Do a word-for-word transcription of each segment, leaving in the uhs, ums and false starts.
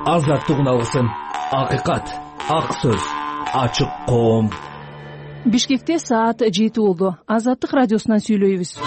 азаттыгын алгысың. Акыйкат, ак сөз, ачык коом. Бишкекте саат жети болду. Азаттык радиосунан сүйлөйбүз.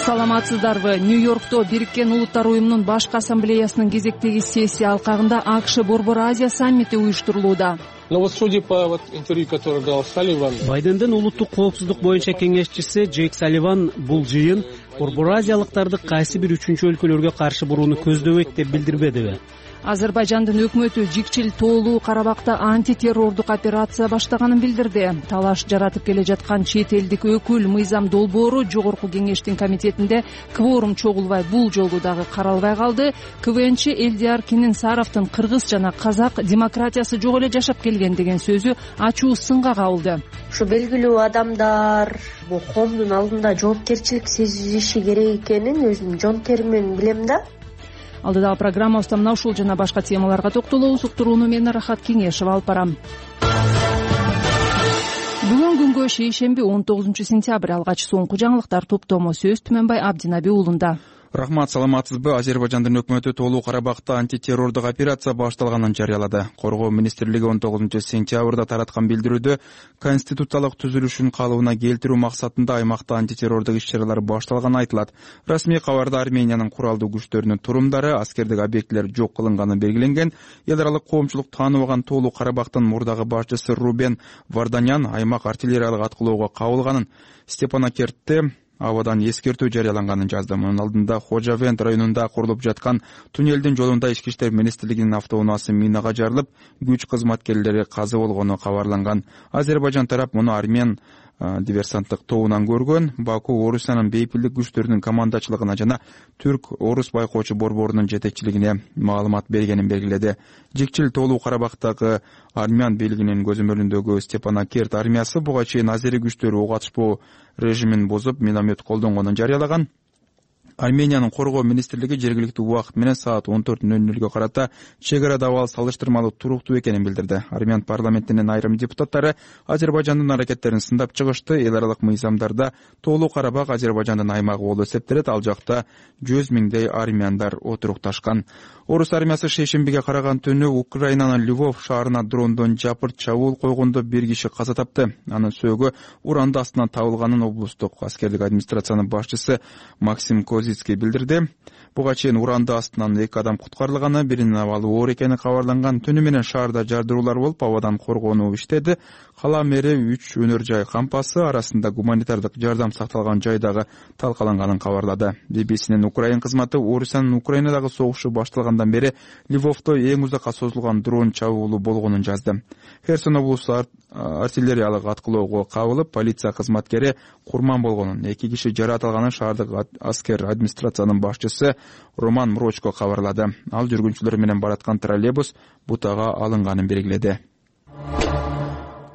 Саламатсыздарбы? Нью-Йоркто Бириккен Улуттар уюмунун башкы ассамблеясынын кезектеги сессия алкагында АКШ Борбор Азия саммити уюштурулууда. Но вот судя по вот интервью, которое дал Салливан, Байдендин улуттук коопсуздук боюнча кеңешчиси Джейк Салливан бул жыйын Борбор Азиялыктарды кайсы бир үчүнчү өлкөлөргө каршы бурууну көздөбөйт деп билдирбедиби? Азербайжандын өкмөтү Жикчил тоолуу Карабакта антитеррордук операция баштаганын билдирди. Талаш жаратып келе жаткан чет элдик өкүл Мыйзам Долбоору Жогорку кеңештин комитетинде кворум чогулбай бул жолу дагы каралбай калды. КВНчи Элдияр Кененсаровдун кыргыз жана казак демократиясы жок эле жашап келген деген сөзү ачуу сынга кабылды. Ушу белгилүү адамдар бул коомдун алдында жоопкерчилик сезиши керек экенин өзүм жон тери менен билем да. Алдыдагы программабызда мына ушул жана башка темаларга токтолобуз. Уктурууну мен Рахат Кеңешова алып барам. Бүгүн күнгө шейшемби он тогузунчу сентябрь. Алгач соңку жаңылыктар топтому сөз Түмөнбай Абдинаби уулунда. Рахмат, саламатсызбы? Азербайжандын өкмөтү тоолуу Карабакта антитеррордук операция башталганын жарыялады. Коргоо министрлиги он тогузунчу сентябрда тараткан билдирүүдө конституциялык түзүлүшүн калыбына келтирүү максатында аймакта антитеррордук иш-чаралар башталганы айтылат. Расмий кабарда Армениянын куралдуу күчтөрүнүн турумдары, аскердик объектилер жок кылынганы белгиленген. Эл аралык коомчулук тааныбаган тоолуу Карабактын мурдагы башчысы Рубен Варданян аймак артиллериялык аткылоого кабылганын, Степанакертте абадан эскертүү жарыяланганын жазды. Мунун алдында Хожавент районунда курулуп жаткан туннелдин жолунда ички иштер министрлигинин автоунаасы минага жарылып, күч кызматкерлери каза болгону кабарланган. Азербайжан тарап муну армян диверсанттык тобунан көргөн. Баку Орусиянын бейпилдик күчтөрүнүн командачылыгына жана Түрк-Орус байкоочу борборунун жетекчилигине маалымат бергенин белгиледи. Жикчил тоолуу Карабактагы армян бийлигинин көзөмөлүндөгү Степанакерт армиясы буга чейин азери күчтөрү ок атышпоо режимин бузуп, миномет колдонгонун жарыялаган. Армениянын коргоо министрлиги жергиликтүү убакыт менен саат он төрт нөл нөлгө карата чек арада абал салыштырмалуу туруктуу экенин билдирди. Армян парламентинин айрым депутаттары Азербайжандын аракеттерин сындап чыгышты. Эл аралык мыйзамдарда тоолуу Карабак Азербайжандын аймагы болуп эсептелет. Ал жакта жүз миңдей армяндар отурукташкан. Орус армиясы шейшембиге караган түнү Украинанын Львов шаарына дрондон жапырт чабуул койгондо бир киши каза тапты. Анын сөөгү уранды астынан табылганын облустук аскерлик администрациянын башчысы Максим Козицкий билдирди. Буга чейин уранды астынан эки адам куткарылганы, биринин абалы оор экени кабарланган. Түнү менен шаарда жардыруулар болуп, абадан коргонуу иштеди. Кала мэри үч өнөр жай кампасы арасында гуманитардык жардам сакталган жайдагы талкаланганын кабарлады. би би синин Украин кызматы Орусиянын Украинадагы согушу башталгандан бери Львовдо эң узакка созулган дрон чабуулу болгонун жазды. Херсон облусу артиллериялык аткылоого кабылып, полиция кызматкери курман болгонун, эки киши жаратылганын шаардык аскер администрациянын башчысы Роман Мрочко кабарлады. Ал жүргүнчүлөр менен бараткан троллейбус бутага алынганын белгиледи.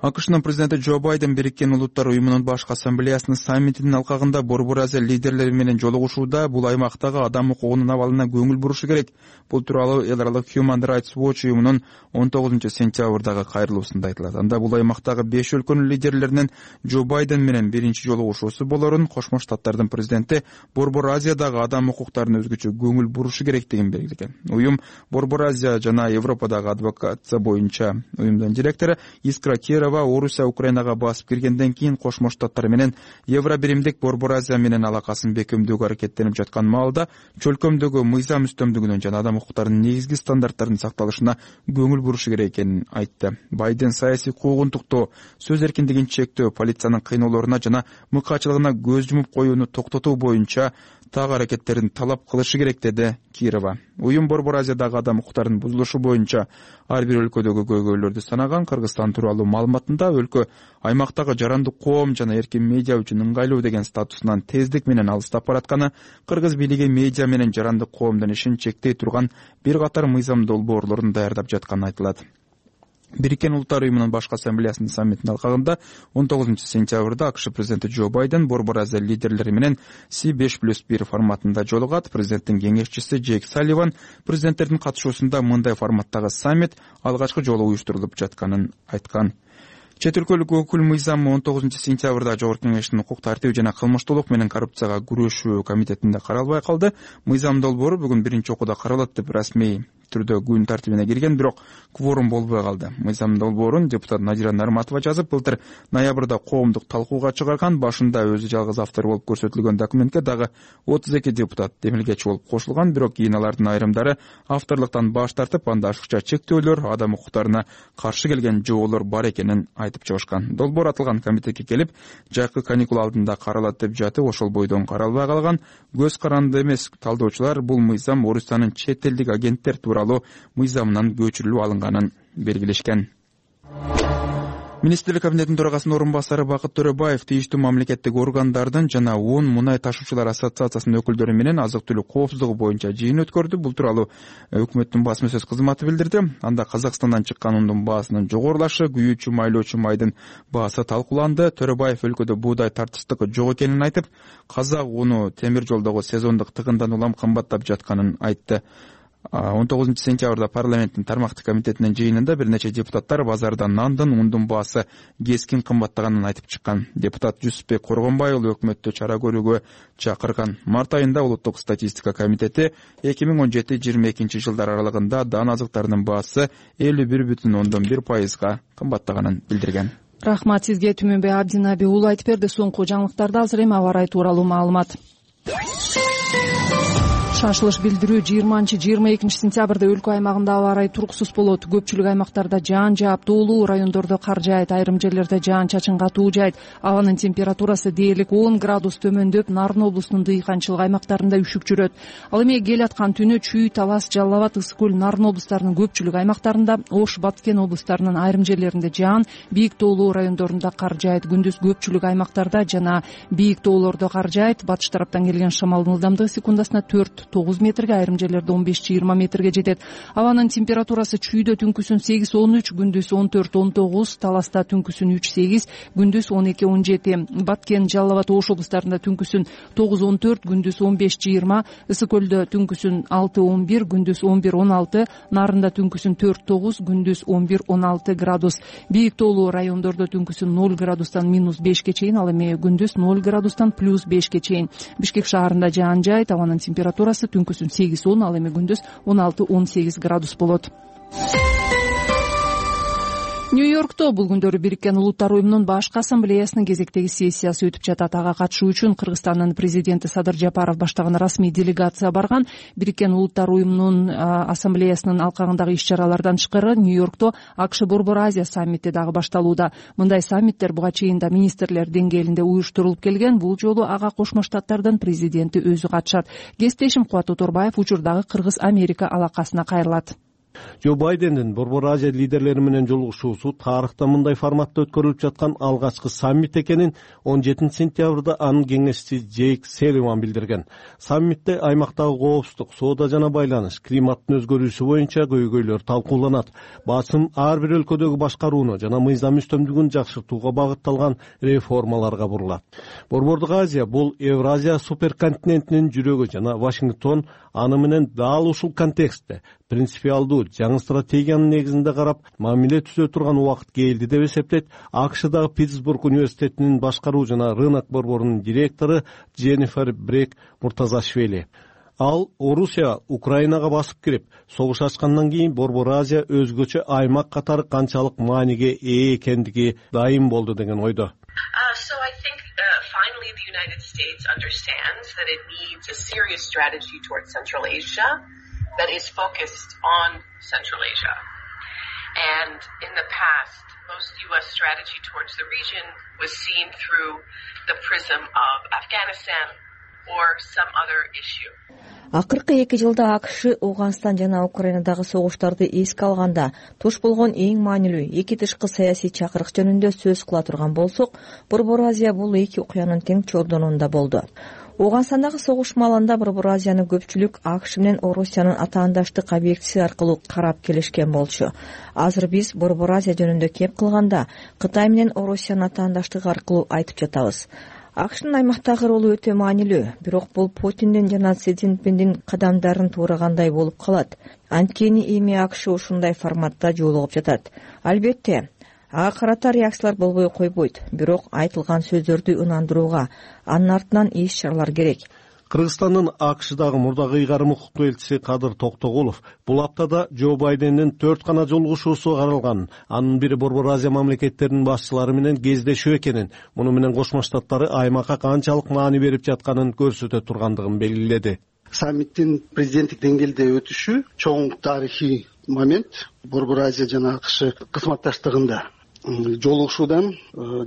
АКШнын президенти Джо Байден Бириккен Улуттар уюмунун башкы ассамблеясынын саммитинин алкагында Борбор Азия лидерлери менен жолугушууда бул аймактагы адам укугунун абалына көңүл бурушу керек. Бул тууралуу эл аралык Human Rights Watch уюмунун он тогузунчу сентябрдагы кайрылуусунда айтылат. Анда бул аймактагы беш өлкөнүн лидерлеринин Джо Байден менен биринчи жолугушуусу болорун, Кошмо Штаттардын президенти Борбор Азиядагы адам укуктарына өзгөчө көңүл бурушу керектигин белгилеген. Уюм Борбор Азия жана Европадагы адвокация боюнча уюмдун директору Искра Кирова Орусия Украинага басып киргенден кийин Кошмо Штаттар менен Евробиримдик Борбор Азия менен алакасын бекемдөөгө аракеттенип жаткан маалда чөлкөмдөгү мыйзам үстөмдүгүнөн жана адам укуктарынын негизги стандарттарынын сакталышына көңүл бурушу керек экенин айтты. Байден саясий куугунтуктоо, сөз эркиндигин чектөө, полициянын кыйноолоруна жана мыкаачылыгына көз жумуп коюуну токтотуу боюнча так аракеттерин талап кылышы керек, деди Кирова. Уюм Борбор Азиядагы адам укуктарынын бузулушу боюнча ар бир өлкөдөгү көйгөйлөрдү санаган. Кыргызстан тууралуу маалыматында өлкө аймактагы жарандык коом жана эркин медиа үчүн ыңгайлуу деген статусунан тездик менен алыстап баратканы, кыргыз бийлиги медиа менен жарандык коомдун ишин чектей турган бир катар мыйзам долбоорлорун даярдап жатканы айтылат. Бириккен Улуттар уюмунун башкы ассамблеясынын саммитинин алкагында он тогузунчу сентябрда АКШ президенти Джо Байден Борбор Азия лидерлери менен Си беш плюс бир форматында жолугат. Президенттин кеңешчиси Джейк Салливан президенттердин катышуусунда мындай форматтагы саммит алгачкы жолу уюштурулуп жатканын айткан. Чет өлкөлүк өкүл мыйзам он тогузунчу сентябрда Жогорку Кеңештин укук тартип жана кылмыштуулук менен коррупцияга күрөшүү комитетинде каралбай калды. Мыйзам долбоору бүгүн биринчи окууда каралат деп расмий түрдө күн тартибине кирген, бирок кворум болбой калды. Мыйзам долбоорун депутат Назира Нарматова жазып, былтыр ноябрда коомдук талкууга чыгарган. Башында өзү жалгыз автор болуп көрсөтүлгөн документке дагы отуз эки депутат демилгечи болуп кошулган, бирок кийин алардын айрымдары авторлуктан баш тартып, анда ашыкча чектөөлөр, адам укуктарына каршы келген жоолор бар экенин айтып чыгышкан. Долбоор аталган комитетке келип, жайкы каникул алдында каралат деп жатып, ошол бойдон каралбай калган. Көз каранды эмес талдоочулар бул мыйзам Орусиянын чет элдик агенттер тууралуу мыйзамынан көчүрүлүп алынганын белгилешкен. Министрлик кабинетинин төрагасынын орун басары Бакыт Төрөбаев тийиштүү мамлекеттик органдардын жана он мунай ташуучулар ассоциациясынын өкүлдөрү менен азык-түлүк коопсуздугу боюнча жыйын өткөрдү. Бул тууралуу өкмөттүн басма сөз кызматы билдирди. Анда Казакстандан чыккан ундун баасынын жогорулашы, күйүүчү, майлоочу майдын баасы талкууланды. Төрөбаев өлкөдө буудай тартыштык жок экенин айтып, казак уну темир жолдогу сезондук тыгындан улам кымбаттап жатканын айтты. он тогузунчу сентябрда парламенттин тармактык комитетинин жыйынында бир нече депутаттар базарда нандын, ундун баасы кескин кымбаттаганын айтып чыккан. Депутат Жусупбек Коргонбай уулу өкмөттү чара көрүүгө чакырган. Март айында Улуттук статистика комитети эки миң он жети жыйырма экинчи жылдар аралыгында дан азыктарынын баасы элүү бир бүтүн ондон бир пайызга кымбаттаганын билдирген. Рахмат сизге, Түмөнбек Абдинаби уулу айтып берди. Соңку жаңылыктарда азыр эми аба ырайы тууралуу маалымат. Шашылыш билдирүү жыйырманчы жыйырма экинчи сентябрда өлкө аймагында аба ырайы туруксуз болот. Көпчүлүк аймактарда жаан жаап, доолуу райондордо кар жаайт, айрым жерлерде жаан-чачын катуу жаайт. Абанын температурасы дээрлик он градус төмөндөп, Нарын облусунун дыйканчылык аймактарында үшүк жүрөт. Ал эми кел аткан түнү Чүй, Талас, Жалал Абад, Ысык көл, Нарын облустарынын көпчүлүк аймактарында, Ош, Баткен облустарынын айрым жерлеринде жаан, бийик доолуу райондорунда кар жаайт. Күндүз көпчүлүк аймактарда жана бийик доолордо кар жаайт. Батыш тараптан келген шамалдын ылдамдыгы секундасына төрт тогуз метрге, айрым жерлерде он беш жыйырма метрге жетет. Абанын температурасы Чүйдө түнкүсүн сегиз он үч, күндүз он төрт он тогуз, Таласта түнкүсүн үч сегиз, күндүз он эки он жети, Баткен, Жалал Абад, Ош облустарында түнкүсүн тогуз он төрт, күндүз он беш жыйырма, Ысык көлдө түнкүсүн алты он бир, күндүз он бир он алты, Нарында түнкүсүн төрт тогуз, күндүз он бир он алты градус. Бийик доолуу райондордо түнкүсүн ноль градустан минус бешке чейин, ал эми күндүз ноль градустан плюс бешке чейин. Бишкек шаарында жаан жаайт, абанын температурасы түнкүсүн сегиз он, ал эми күндүз он алты он сегиз градус болот. Нью-Йоркто бул күндөрү Бириккен Улуттар уюмунун башкы ассамблеясынын кезектеги сессиясы өтүп жатат. Ага катышуу үчүн Кыргызстандын президенти Садыр Жапаров баштаган расмий делегация барган. Бириккен Улуттар уюмунун ассамблеясынын алкагындагы иш-чаралардан тышкары Нью-Йоркто АКШ Борбор Азия саммити дагы башталууда. Мындай саммиттер буга чейин да министрлер деңгээлинде уюштурулуп келген. Бул жолу ага Кошмо Штаттардын президенти өзү катышат. Кесиптешим Кубат Оторбаев учурдагы Кыргыз-Америка алакасына кайрылат. Джо Байдендин Борбор Азия лидерлери менен жолугушуусу тарыхта мындай форматта өткөрүлүп жаткан алгачкы саммит экенин он жетинчи сентябрда анын кеңешчиси Джейк Салливан билдирген. Саммитте аймактагы коопсуздук, соода жана байланыш, климаттын өзгөрүүсү боюнча көйгөйлөр талкууланат. Басым ар бир өлкөдөгү башкарууну жана мыйзам үстөмдүгүн жакшыртууга багытталган реформаларга бурулат. Борбордук Азия бул Евразия суперконтинентинин жүрөгү жана Вашингтон аны менен дал ушул контекстте принципиалдуу жаңы стратегиянын негизинде карап мамиле түзө турган убакыт келди деп эсептейт АКШдагы Питтсбург университетинин башкаруу жана рынок борборунун директору Дженнифер Брек Муртазашвили. Ал Орусия Украинага басып кирип, согуш ачкандан кийин Борбор Азия өзгөчө аймак катары канчалык мааниге ээ экендиги дайым болду деген ойдо. Finally, the United States understands that it needs a serious strategy towards Central Asia that is focused on Central Asia. And in the past, most U S strategy towards the region was seen through the prism of Afghanistan or some other issue. Акыркы эки жылда АКШ Ауганстан жана Украинадагы согуштарды эске алганда туш болгон эң маанилүү эки тышкы саясий чакырык жөнүндө сөз кыла турган болсок, Борбор Азия бул эки окуянын тең чордонунда болду. Ауганстандагы согуш маалында Борбор Азияны көпчүлүк АКШ менен Орусиянын атаандаштык объектиси аркылуу карап келишкен болчу. Азыр биз Борбор Азия жөнүндө кеп кылганда Кытай менен Орусиянын атаандаштыгы аркылуу айтып жатабыз. АКШнын аймактагы ролу өтө маанилүү, бирок бул Путиндин жана Си Цзиньпиндин кадамдарын туурагандай болуп калат. Анткени эми АКШ ушундай форматта жолугуп жатат. Албетте, ага карата реакциялар болбой койбойт, бирок айтылган сөздөрдү ынандырууга, анын артынан иш чаралар керек. Кыргызстандын АКШдагы мурдагы ыйгарым укуктуу элчиси Кадыр Токтогулов бул аптада Джо Байдендин төрт гана жолугушуусу каралганын, анын бири Борбор Азия мамлекеттеринин башчылары менен кездешүү экенин, муну менен Кошмо Штаттары аймакка канчалык маани берип жатканын көрсөтө тургандыгын белгиледи. Саммиттин президенттик деңгээлде өтүшү чоң тарыхый момент Борбор Азия жана АКШ кызматташтыгында. Жолугушуудан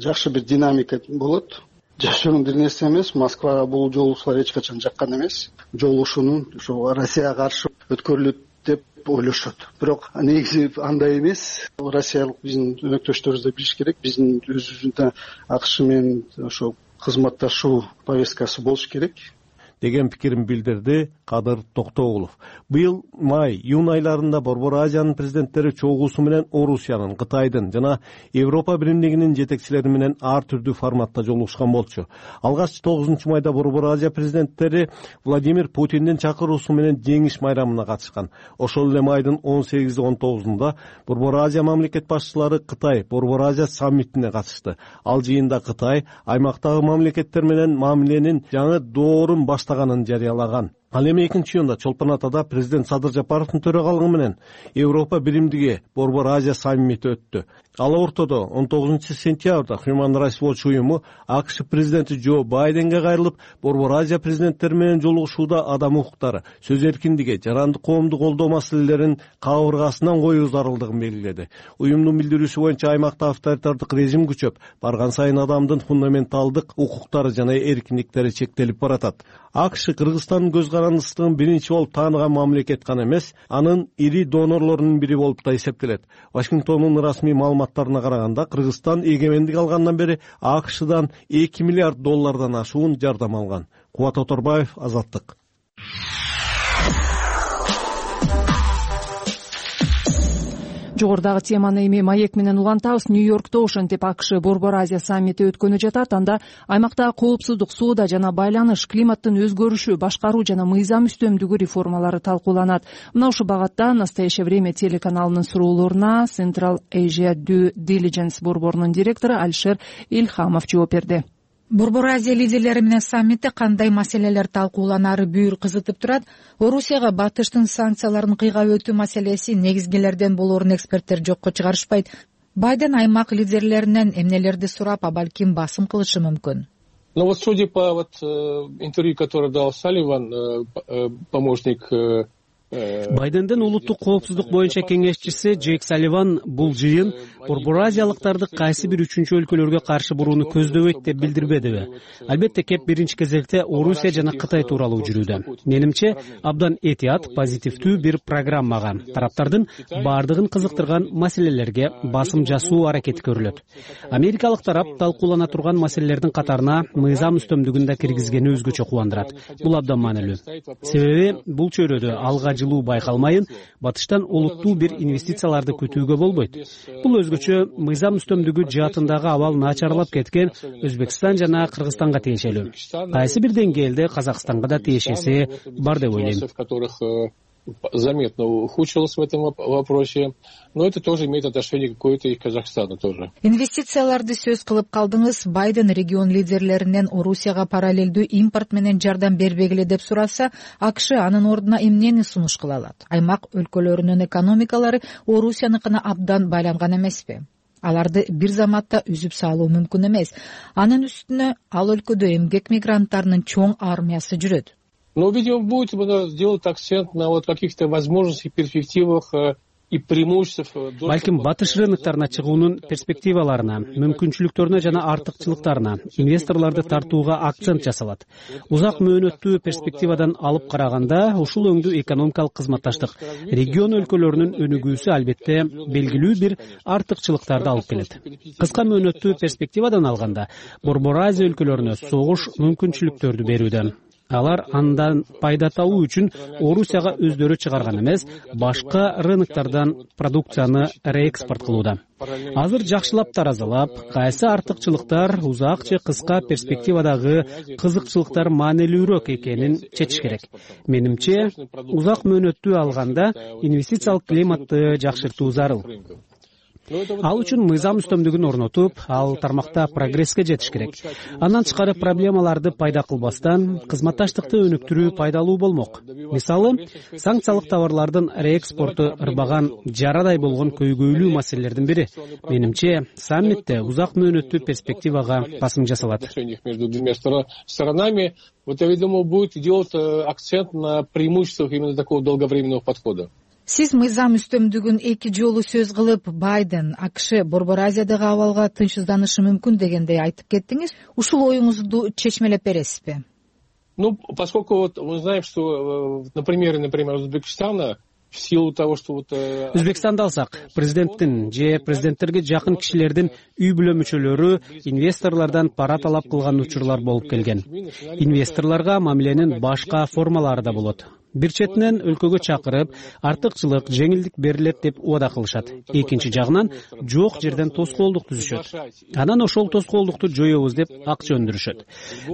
жакшы бир динамика болот. Жашыруун бир нерсе эмес, Москвага бул жолугушуулар эч качан жаккан эмес. Жолугушуунун ошо Россияга каршы өткөрүлөт деп ойлошот. Бирок негизи андай эмес. Россиялык биздин өнөктөштөрүбүз да билиш керек. Биздин өзүбүздүн АКШ менен ошо кызматташуу повесткасы болуш керек деген пикирин билдирди Кадыр Токтогулов. Быйыл май, июнь айларында Борбор Азиянын президенттери чогуусу менен Орусиянын, Кытайдын жана Европа биримдигинин жетекчилери менен ар түрдүү форматта жолугушкан болчу. Алгач тогузунчу майда Борбор Азия президенттери Владимир Путиндин чакыруусу менен жеңиш майрамына катышкан. Ошол эле майдын он сегизи он тогузунда Борбор Азия мамлекет башчылары Кытай Борбор Азия саммитине катышты. Ал жыйында Кытай аймактагы мамлекеттер менен мамиленин жаңы доорун баштаганын жарыялаган. Ал эми экинчи июнда Чолпон Атада президент Садыр Жапаровдун төрагалыгы менен Европа биримдиги Борбор Азия саммити өттү. Ал ортодо он тогузунчу сентябрда Human Rights Watch уюму АКШ президенти Джо Байденге кайрылып, Борбор Азия президенттери менен жолугушууда адам укуктары, сөз эркиндиги, жарандык коомду колдоо маселелерин кабыргасынан коюу зарылдыгын белгиледи. Уюмдун билдирүүсү боюнча аймакта авторитардык режим күчөп, барган сайын адамдын фундаменталдык укуктары жана эркиндиктери чектелип баратат. АКШ Кыргызстандын көз карандысыздыгын биринчи болуп тааныган мамлекет гана эмес, анын ири донорлорунун бири болуп да эсептелет. Вашингтондун расмий маалыматтарына караганда, Кыргызстан эгемендик алгандан бери АКШдан эки миллиард доллардан ашуун жардам алган. Кубат Оторбаев, Азаттык. Жогорудагы теманы эми маек менен улантабыз. Нью-Йоркто ошентип АКШ Борбор Азия саммити өткөнү жатат. Анда аймакта коопсуздук, соода жана байланыш, климаттын өзгөрүшү, башкаруу жана мыйзам үстөмдүгү реформалары талкууланат. Мына ушул багатта Настоящее время телеканалынын суроолоруна Central Asia Due Diligence борборунун директору Алишер Илхамов жооп берди. Борбор Азия лидерлери менен саммитте кандай маселелер талкууланары бүйүр кызытып турат. Орусияга батыштын санкцияларын кыйгап өтүү маселеси негизгилерден болоорун эксперттер жокко чыгарышпайт. Байден аймак лидерлеринен эмнелерди сурап, а балким басым кылышы мүмкүн. Ну вот судя по вот интервью, которое дал Салливан, помощник Байдендин улуттук коопсуздук боюнча кеңешчиси Джейк Салливан бул жыйын Борбор Азиялыктарды кайсы бир үчүнчү өлкөлөргө каршы бурууну көздөбөйт деп билдирбедиби? Албетте кеп биринчи кезекте Орусия жана Кытай тууралуу жүрүүдө. Менимче абдан этият, позитивдүү бир программага, тараптардын бардыгын кызыктырган маселелерге басым жасоо аракети көрүлөт. Америкалык тарап талкуулана турган маселелердин катарына мыйзам үстөмдүгүн да киргизгени өзгөчө кубандырат. Бул абдан маанилүү. Себеби бул чөйрөдө алга жылуу байкалмайын, батыштан олуттуу бир инвестицияларды күтүүгө болбойт. Бул өзгөчө мыйзам үстөмдүгү жаатындагы абал начарлап кеткен Өзбекстан жана Кыргызстанга тиешелүү. Кайсы бир деңгээлде Казакстанга да тиешеси бар деп ойлойм. Заметно ухудшилось в этом вопросе, но это тоже имеет отношение какое-то и к Казахстану тоже. Инвестицияларды сөз кылып калдыңыз. Байден регион лидерлеринен Орусияга параллелдүү импорт менен жардам бербегиле деп сураса, АКШ анын ордуна эмнени сунуш кыла алат? Аймак өлкөлөрүнүн экономикалары Орусияныкына абдан байланган эмеспи? Аларды бир заматта үзүп салуу мүмкүн эмес. Анын үстүнө ал өлкөдө эмгек мигранттарынын чоң армиясы жүрөт. Но, видимо, будет делать акцент на вот каких-то возможностях, перспективах и преимуществах. Балким батыш рыноктарына чыгуунун перспективаларына, мүмкүнчүлүктөрүнө жана артыкчылыктарына, инвесторлорду тартууга акцент жасалат. Узак мөөнөттүү перспективадан алып караганда, ушул өңдүү экономикалык кызматташтык регион өлкөлөрүнүн өнүгүүсү албетте белгилүү бир артыкчылыктарды алып келет. Кыска мөөнөттүү перспективадан алганда, Борбор Азия өлкөлөрүнө согуш мүмкүнчүлүктөрдү берүүдө. Алар андан пайда табуу үчүн Орусияга өздөрү чыгарган эмес, башка рыноктардан продукцияны реэкспорт кылууда. Азыр жакшылап таразалап, кайсы артыкчылыктар узак же кыска перспективадагы кызыкчылыктар маанилүүрөөк экенин чечиш керек. Менимче, узак мөөнөттүү алганда инвестициялык климатты жакшыртуу зарыл. Ал үчүн мыйзам үстөмдүгүн орнотуп, ал тармакта прогресске жетиш керек. Андан тышкары проблемаларды пайда кылбастан кызматташтыкты өнүктүрүү пайдалуу болмок. Мисалы, санкциялык товарлардын реэкспорту ырбаган жарадай болгон көйгөйлүү маселелердин бири. Менимче, саммитте узак мөөнөттүү перспективага басым жасалат. Между двумя сторонами, вот я думаю, будет делать акцент на преимуществах именно такого долговременного подхода. Сиз мыйзам үстөмдүгүн эки жолу сөз кылып, Байден АКШ Борбор Азиядагы абалга тынчсызданышы мүмкүн дегендей айтып кеттиңиз. Ушул оюңузду чечмелеп бересизби? Ну, поскольку вот мы знаем, что на примере, например, Узбекистана, в силу того, что вот... Өзбекстанды алсак, президенттин же президенттерге жакын кишилердин үй бүлө мүчөлөрү инвесторлордон пара талап кылган учурлар болуп келген. Инвесторлорго мамиленин башка формалары да болот. Бир четинен өлкөгө чакырып, артыкчылык, жеңилдик берилет деп убада кылышат. Экинчи жагынан жок жерден тоскоолдук түзүшөт. Анан ошол тоскоолдукту жоебуз деп акча өндүрүшөт.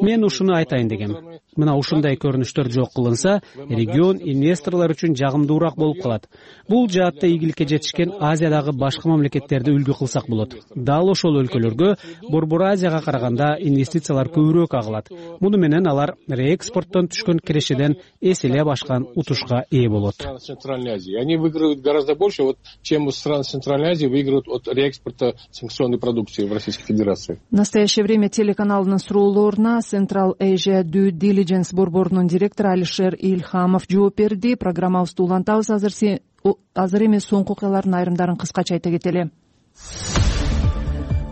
Мен ушуну айтайын дегем. Мына ушундай көрүнүштөр жок кылынса, регион инвесторлор үчүн жагымдуураак болуп калат. Бул жаатта ийгиликке жетишкен Азиядагы башка мамлекеттерди үлгү кылсак болот. Дал ошол өлкөлөргө Борбор Азияга караганда инвестициялар көбүрөөк агылат. Муну менен алар реэкспорттон түшкөн кирешеден эселе башка утушка ээ болот. Центральной Азии. Они выигрывают гораздо больше, вот, чем страны Центральной Азии выигрывают от реэкспорта санкционной продукции в Российской Федерации. В настоящее время телеканалынын суроолоруна Central Asia Due Diligence борборунун директору Алишер Ильхамов жооп берди. Программабызды улантабыз. Азыр азыр эми соңку окуялардын айрымдарын кыскача айта кетели.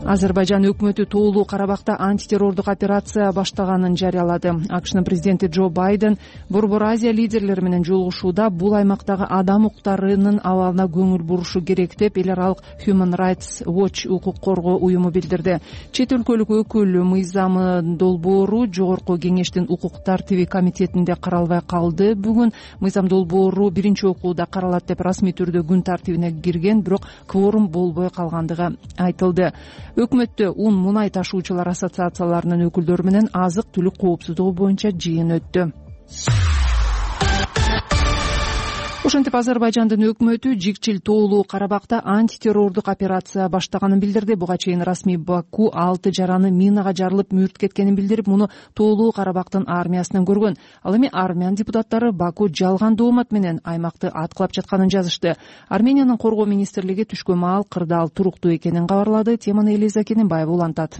Азербайжан өкмөтү тоолуу Карабакта антитеррордук операция баштаганын жарыялады. АКШнын президенти Джо Байден Борбор Азия лидерлери менен жолугушууда бул аймактагы адам укуктарынын абалына көңүл бурушу керек деп эл аралык Human Rights Watch укук коргоо уюму билдирди. Чет өлкөлүк өкүл мыйзамы долбоору Жогорку кеңештин укук тартиби комитетинде каралбай калды. Бүгүн мыйзам долбоору биринчи окууда каралат деп расмий түрдө күн тартибине кирген, бирок кворум болбой калгандыгы айтылды. Өкмөттө ун мунай ташуучулар ассоциацияларынын өкүлдөрү менен азык-түлүк коопсуздугу боюнча жыйын өттү. Ошентип Азербайжандын өкмөтү жикчил тоолуу Карабакта антитеррордук операция баштаганын билдирди. Буга чейин расмий Баку алты жараны минага жарылып мүрт кеткенин билдирип, муну тоолуу Карабактын армиясынан көргөн. Ал эми армян депутаттары Баку жалган доомат менен аймакты аткылап жатканын жазышты. Армениянын коргоо министрлиги түшкө маал кырдаал туруктуу экенин кабарлады. Теманы Элиза Кененбаева улантат.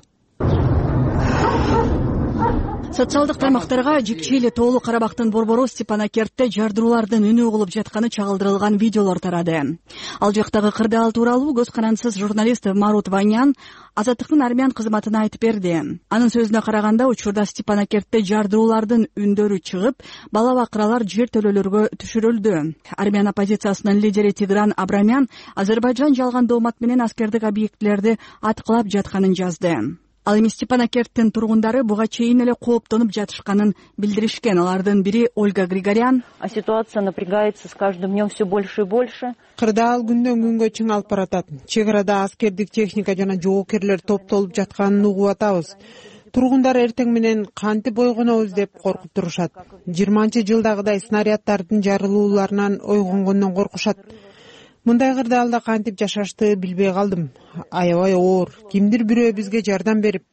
Социалдык тармактарга жикчил тоолуу Карабактын борбору Степанакертте жардыруулардын үнү угулуп жатканы чагылдырылган видеолор тарады. Ал жактагы кырдаал тууралуу көз карандысыз журналист Марут Ванян Азаттыктын армян кызматына айтып берди. Анын сөзүнө караганда, учурда Степанакертте жардыруулардын үндөрү чыгып, бала-бакыралар жер төлөлөргө түшүрүлдү. Армян оппозициясынын лидери Тигран Абрамян Азербайжан жалган доомат менен аскердик объектилерди аткылап жатканын жазды. Ал эми Степанакерттин тургундары буга чейин эле кооптонуп жатышканын билдиришкен. Алардын бири Ольга Григорян. А ситуация напрягается с каждым днем все больше и больше. Кырдаал күндөн күнгө чыңалып баратат. Чек арада аскердик техника жана жоокерлер топтолуп жатканын угуп атабыз. Тургундар эртең менен кантип бойгонобуз деп коркуп турушат. жыйырманчы жылдагыдай снаряддардын жарылууларынан ойгонгондон коркушат. Мындай кырдаалда кантип жашашты билбей калдым. Аябай оор. Кимдир бирөө бизге жардам берип,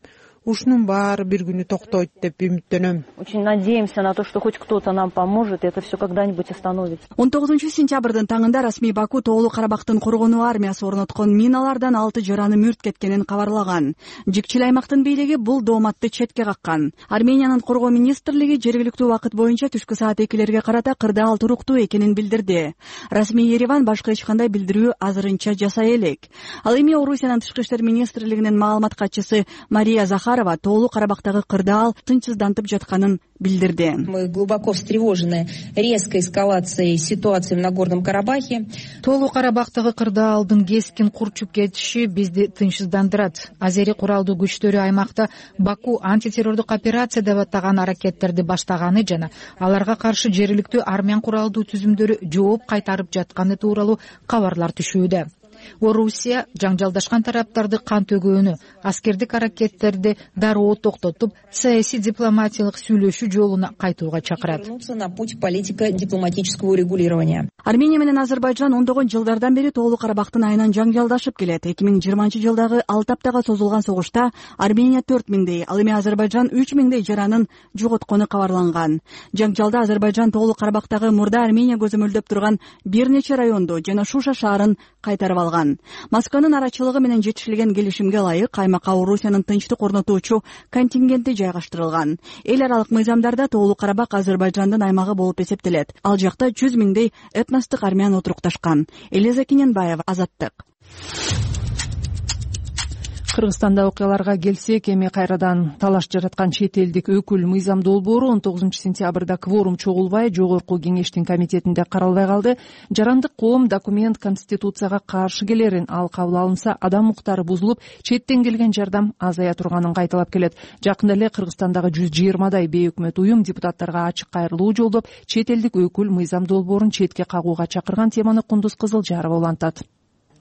ушунун баары бир күнү токтойт деп үмүттөнөм. Очень надеемся на то, что хоть кто-то нам поможет, и это все когда-нибудь остановится. он тогузунчу сентябрдын таңында расмий Баку тоолуу Карабактын коргонуу армиясы орноткон миналардан алты жараны мүрт кеткенин кабарлаган. Жикчил аймактын бийлиги бул дооматты четке каккан. Армениянын коргоо министрлиги жергиликтүү убакыт боюнча түшкү саат экилерге карата кырдаал туруктуу экенин билдирди. Расмий Ереван башка эч кандай билдирүү азырынча жасай элек. Ал эми Орусиянын тышкы иштер министрлигинин маалымат катчысы Мария Захар тоолуу Карабактагы кырдаал тынчсыздантып жатканын билдирди. Мы глубоко встревожены резкой эскалацией ситуации в Нагорном Карабахе. Тоолуу Карабактагы кырдаалдын кескин курчуп кетиши бизди тынчсыздандырат. Азери куралдуу күчтөрү аймакта Баку антитеррордук операция деп атаган аракеттерди баштаганы жана аларга каршы жергиликтүү армян куралдуу түзүмдөрү жооп кайтарып жатканы тууралуу кабарлар түшүүдө. Орусия жаңжалдашкан тараптарды кан төгөөнү, аскердик аракеттерди дароо токтотуп, саясий дипломатиялык сүйлөшүү жолуна кайтууга чакырат. На путь политико-дипломатического урегулирования. Армения менен Азербайжан ондогон жылдардан бери Тоолуу Карабактын айынан жаңжалдашып келет. эки миң жыйырманчы жылдагы алты аптага созулган согушта Армения төрт миңдей, ал эми Азербайжан үч миңдей жаранын жоготкону кабарланган. Жаңжалда Азербайжан Тоолуу Карабактагы мурда Армения көзөмөлдөп турган бир нече районду жана Шуша шаарын кайтарып алган. Москванын арачылыгы менен жетишилген келишимге ылайык аймакка Орусиянын тынчтык орнотуучу контингенти жайгаштырылган. Эл аралык мыйзамдарда Тоолуу Карабак Азербайжандын аймагы болуп эсептелет. Ал жакта жүз миңдей этностук армян отурукташкан. Элиза Кененбаева, Азаттык. Кыргызстанда окуяларга келсек, эми кайрадан талаш жараткан чет элдик өкүл Мыйзам долбоору он тогузунчу сентябрда кворум чогулбай жогорку кеңештин комитетинде каралбай калды. Жарандык коом документ Конституцияга каршы келерин, ал кабыл алынса адам укуктары бузулуп, четтен келген жардам азая турганын кайталап келет. Жакында эле Кыргызстандагы жүз жыйырмадай бейөкмөт уюм депутаттарга ачык кайрылуу жолдоп, чет элдик өкүл Мыйзам долбоорун четке кагууга чакырган. Теманы Кундуз Кызылжарова улантат.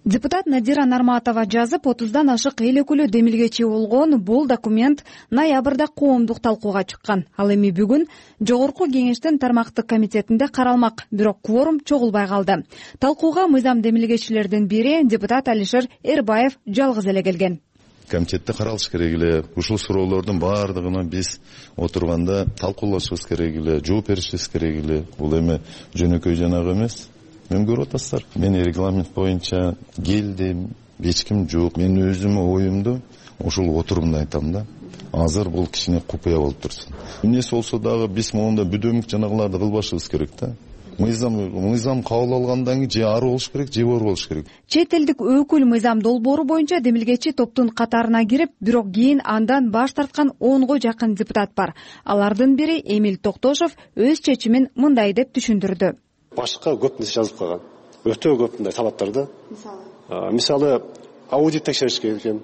Депутат Надира Нарматова жазып, отуздан ашык эл өкүлү демилгечи болгон бул документ ноябрда коомдук талкууга чыккан. Ал эми бүгүн жогорку кеңештин тармактык комитетинде каралмак, бирок кворум чогулбай калды. Талкууга мыйзам демилгечилердин бири депутат Алишер Эрбаев жалгыз эле келген. Комитетте каралыш керек эле. Ушул суроолордун баардыгына биз отурганда талкуулашыбыз керек эле, жооп беришибиз керек эле. Бул эми жөнөкөй жанагы эмес. Мен көрүп атасыздар. Мен регламент боюнча келдим, эч ким жок. Мен өзүм оюмду ошол отурумда айтам да. Азыр бул кичине купуя болуп турсун. Эмнеси болсо дагы биз моунда бүдөмүк жанагыларды кылбашыбыз керек да. Мыйзам мыйзам кабыл алгандан кийин же ары болуш керек, же бор болуш керек. Чет элдик өкүл Мыйзам долбоору боюнча демилгечи топтун катарына кирип, бирок кийин андан баш тарткан онго жакын депутат бар. Алардын бири Эмил Токтошов өз чечимин мындай деп түшүндүрдү. Башка көп нерсе жазылып калган. Өтө көп мындай талаптар да. Мисалы, мисалы аудит текшериш керек экен.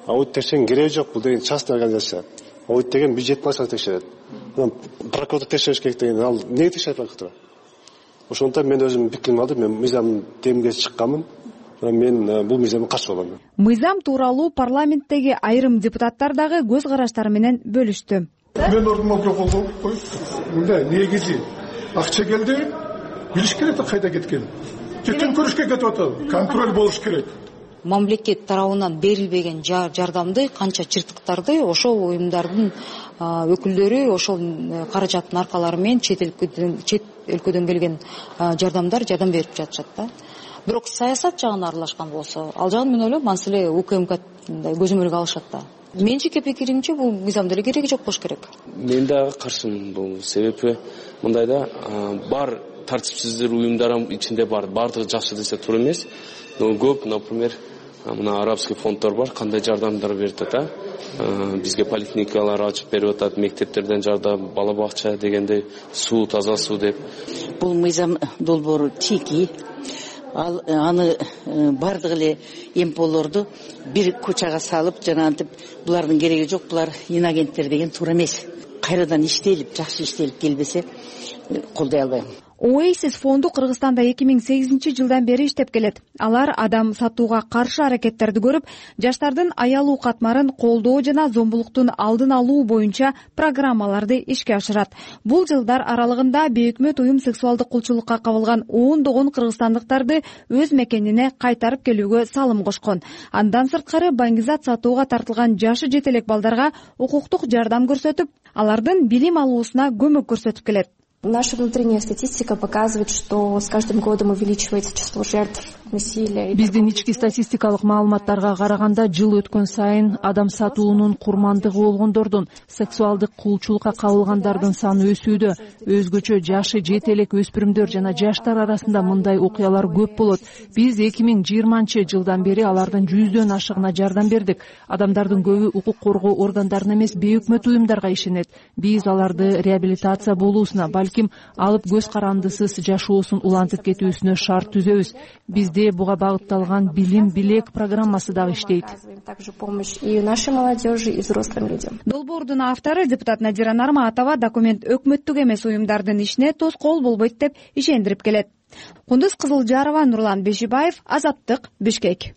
Аудит текшерген кереги жок, бул деген частный организация. Аудит деген бюджет машина текшерет. Прокурор текшериш керек деген, ал эмне текшерип атат? Ошондон мен өзүм пикирим алдым, мен мыйзам демге чыкканмын. Мен бул мыйзамга каршы болом. Мыйзам тууралуу парламенттеги айрым депутаттар дагы көз караштары менен бөлүштү. Мен ордума колдоп коюп, мындай негизи акча келди. Билиш керек да кайда кеткен. Жетен көрүшкө кетип атат. Контроль болуш керек. Мамлекет тарабынан берилбеген жардамды, канча чыртыктарды ошол уюмдардын өкүлдөрү ошол каражаттын аркалары менен чет өлкөдөн келген жардамдар жардам берип жатышат да. Бирок саясат жагына аралашкан болсо, ал жагын мен ойлойм, маселе УКМК көзөмөлгө алышат да. Менчики пикиримче бул мыйзамда эле кереги жок болуш керек. Мен дагы каршымын бул. Себеби мындайда бар тартипсиздер уюмдар ичинде бар, баардыгы жакшы десе туура эмес. Но көп, например, мына арабский фонддор бар, кандай жардамдар берип атат, бизге поликлиникалар ачып берип атат, мектептерден жардам, бала бакча дегенде суу, таза суу деп. Бул мыйзам долбоору тики. Ал аны бардык эле эмполорду бир кучага салып, жана антип булардын кереги жок, булар инагенттер деген туура эмес. Кайрадан иштелип, жакшы иштелип келбесе колдой албайм. Oasis фонду Кыргызстанда эки миң сегизинчи жылдан бери иштеп келет. Алар адам сатууга каршы аракеттерди көрүп, жаштардын аялуу катмарын колдоо жана зомбулуктун алдын алуу боюнча программаларды ишке ашырат. Бул жылдар аралыгында бейөкмөт уюм сексуалдык кулчулукка кабылган ондогон кыргызстандыктарды өз мекенине кайтарып келүүгө салым кошкон. Андан сырткары баңгизат сатууга тартылган жашы жете элек балдарга укуктук жардам көрсөтүп, алардын билим алуусуна көмөк көрсөтүп келет. Наша внутренняя статистика показывает, что с каждым годом увеличивается число жертв насилия. Биздин ички статистикалык маалыматтарга караганда жыл өткөн сайын адам сатуунун курмандыгы болгондордун, сексуалдык кулчулукка кабылгандардын саны өсүүдө. Өзгөчө жашы жете элек өспүрүмдөр жана жаштар арасында мындай окуялар көп болот. Биз эки миң жыйырманчы жылдан бери алардын жүздөн ашыгына жардам бердик. Адамдардын көбү укук коргоо органдарына эмес, бейөкмөт уюмдарга ишенет. Биз аларды реабилитация болуусуна, балким алып көз карандысыз жашоосун улантып кетүүсүнө шарт түзөбүз. Бизде буга багытталган билим билек программасы дагы иштейт. Также помощь и нашей молодежи, и взрослым людям. Долбоордун автору депутат Надира Нарматова документ өкмөттүк эмес уюмдардын ишине тоскоол болбойт деп ишендирип келет. Кундуз Кызылжарова, Нурлан Бешибаев, Азаттык, Бишкек.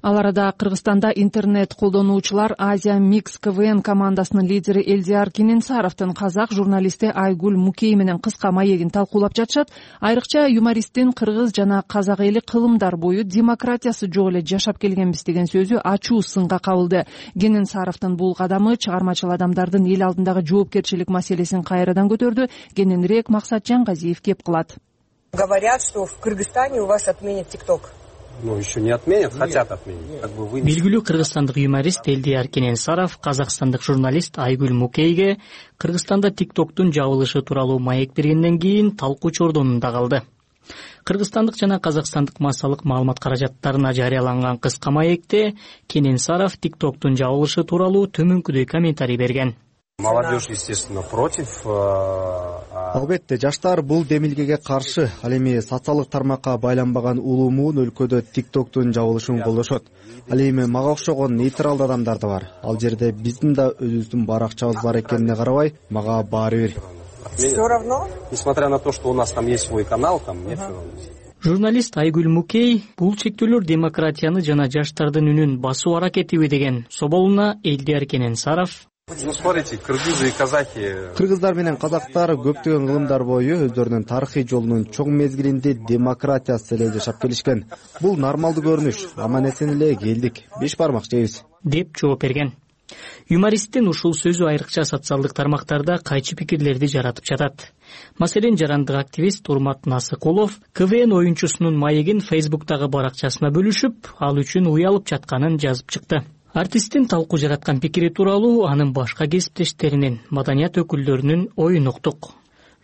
Ал арада Кыргызстанда интернет колдонуучулар Азия Микс КВН командасынын лидери Элдияр Кененсаровдун казак журналисти Айгүл Мукей менен кыска маегин талкуулап жатышат. Айрыкча юмористтин кыргыз жана казак эли кылымдар бою демократиясы жок эле жашап келгенбиз деген сөзү ачуу сынга кабылды. Кененсаровдун бул кадамы чыгармачыл адамдардын эл алдындагы жоопкерчилик маселесин кайрадан көтөрдү. Кененирээк Максат Жаңгазиев кеп кылат. Говорят, что в Кыргызстане у вас отменят ТикТок. Ну, еще не отменят, хотят отменить. Как бы вы... Белгилүү кыргызстандык юморист Элдияр Кененсаров казакстандык журналист Айгүл Мукейге Кыргызстанда ТикТоктун жабылышы тууралуу маек бергенден кийин талкуу чордонунда калды. Кыргызстандык жана казакстандык массалык маалымат каражаттарына жарыяланган кыска маекте Кененсаров ТикТоктун жабылышы тууралуу төмөнкүдөй комментарий берген. Молодежь, естественно, против. Албетте, жаштар бул демилгеге каршы. Ал эми социалдык тармакка байланбаган улуумун өлкөдө ТикТоктун жабылышын колдошот. Ал эми мага окшогон нейтралдуу адамдар да бар. Ал жерде биздин да өзүбүздүн баракчабыз бар экенине карабай, мага баары бир. Все равно? Несмотря на то, что у нас там есть свой канал, там нет. Журналист Айгүл Мукей бул чектөөлөр демократияны жана жаштардын үнүн басуу аракетиби деген соболуна Элдияр Кененсаров: Ну, смотрите, кыргызы и казахи. Кыргыздар менен казактар көптөгөн кылымдар бою өздөрүнүн тарыхый жолунун чоң мезгилинде демократиясыз эле жашап келишкен. Бул нормалдуу көрүнүш. Аман эсен эле келдик. Беш бармак жейбиз, деп жооп берген. Юмористтин ушул сөзү айрыкча социалдык тармактарда кайчы пикирлерди жаратып жатат. Маселен, жарандык активист Урмат Насыкулов КВН оюнчусунун маегин Фейсбуктагы баракчасына бөлүшүп, ал үчүн уялып жатканын жазып чыкты. Артисттин талкуу жараткан пикири тууралуу анын башка кесиптештеринин, маданият өкүлдөрүнүн оюн уктук.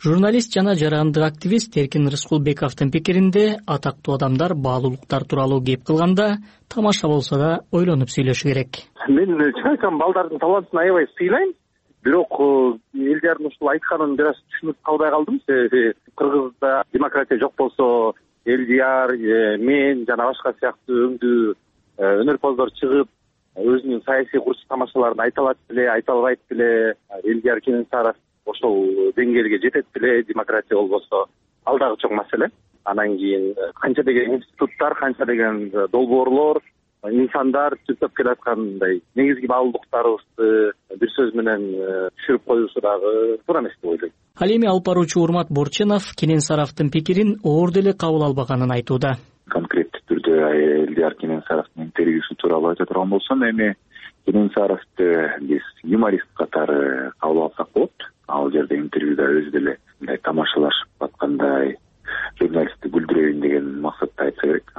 Журналист жана жарандык активист Эркин Рыскулбековдун пикиринде атактуу адамдар баалуулуктар тууралуу кеп кылганда тамаша болсо да ойлонуп сүйлөшү керек. Мен чын айтсам, балдардын талантын аябай сыйлайм. Бирок Элдиярдын ушул айтканын бир аз түшүнүп калбай калдым. Себеби Кыргызда демократия жок болсо, Элдияр, мен жана башка сыяктуу өңдүү өнөрпоздор чыгып өзүнүн саясий курс тамашаларын айта алат беле, айта албайт беле, Элдияр Кененсаров ошол деңгээлге жетет беле, демократия болбосо, ал дагы чоң маселе. Анан кийин канча деген институттар, канча деген долбоорлор, инсандар түзүп келаткандай негизги баалуулуктарыбызды бир сөз менен түшүрүп коюусу дагы туура эмес деп ойлойм. Ал эми алып баруучу Урмат Борченов Кененсаровдун пикирин оор деле кабыл албаганын айтууда. Конкреттүү түрдө Элдияр Кененсаровдун интервьюсу тууралуу айта турган болсом, эми Кененсаровду биз юморист катары кабыл алсак болот. Ал жерде интервьюда өзү деле мындай тамашалашып аткандай, журналистти күлдүрөйүн деген максатта айтса керек.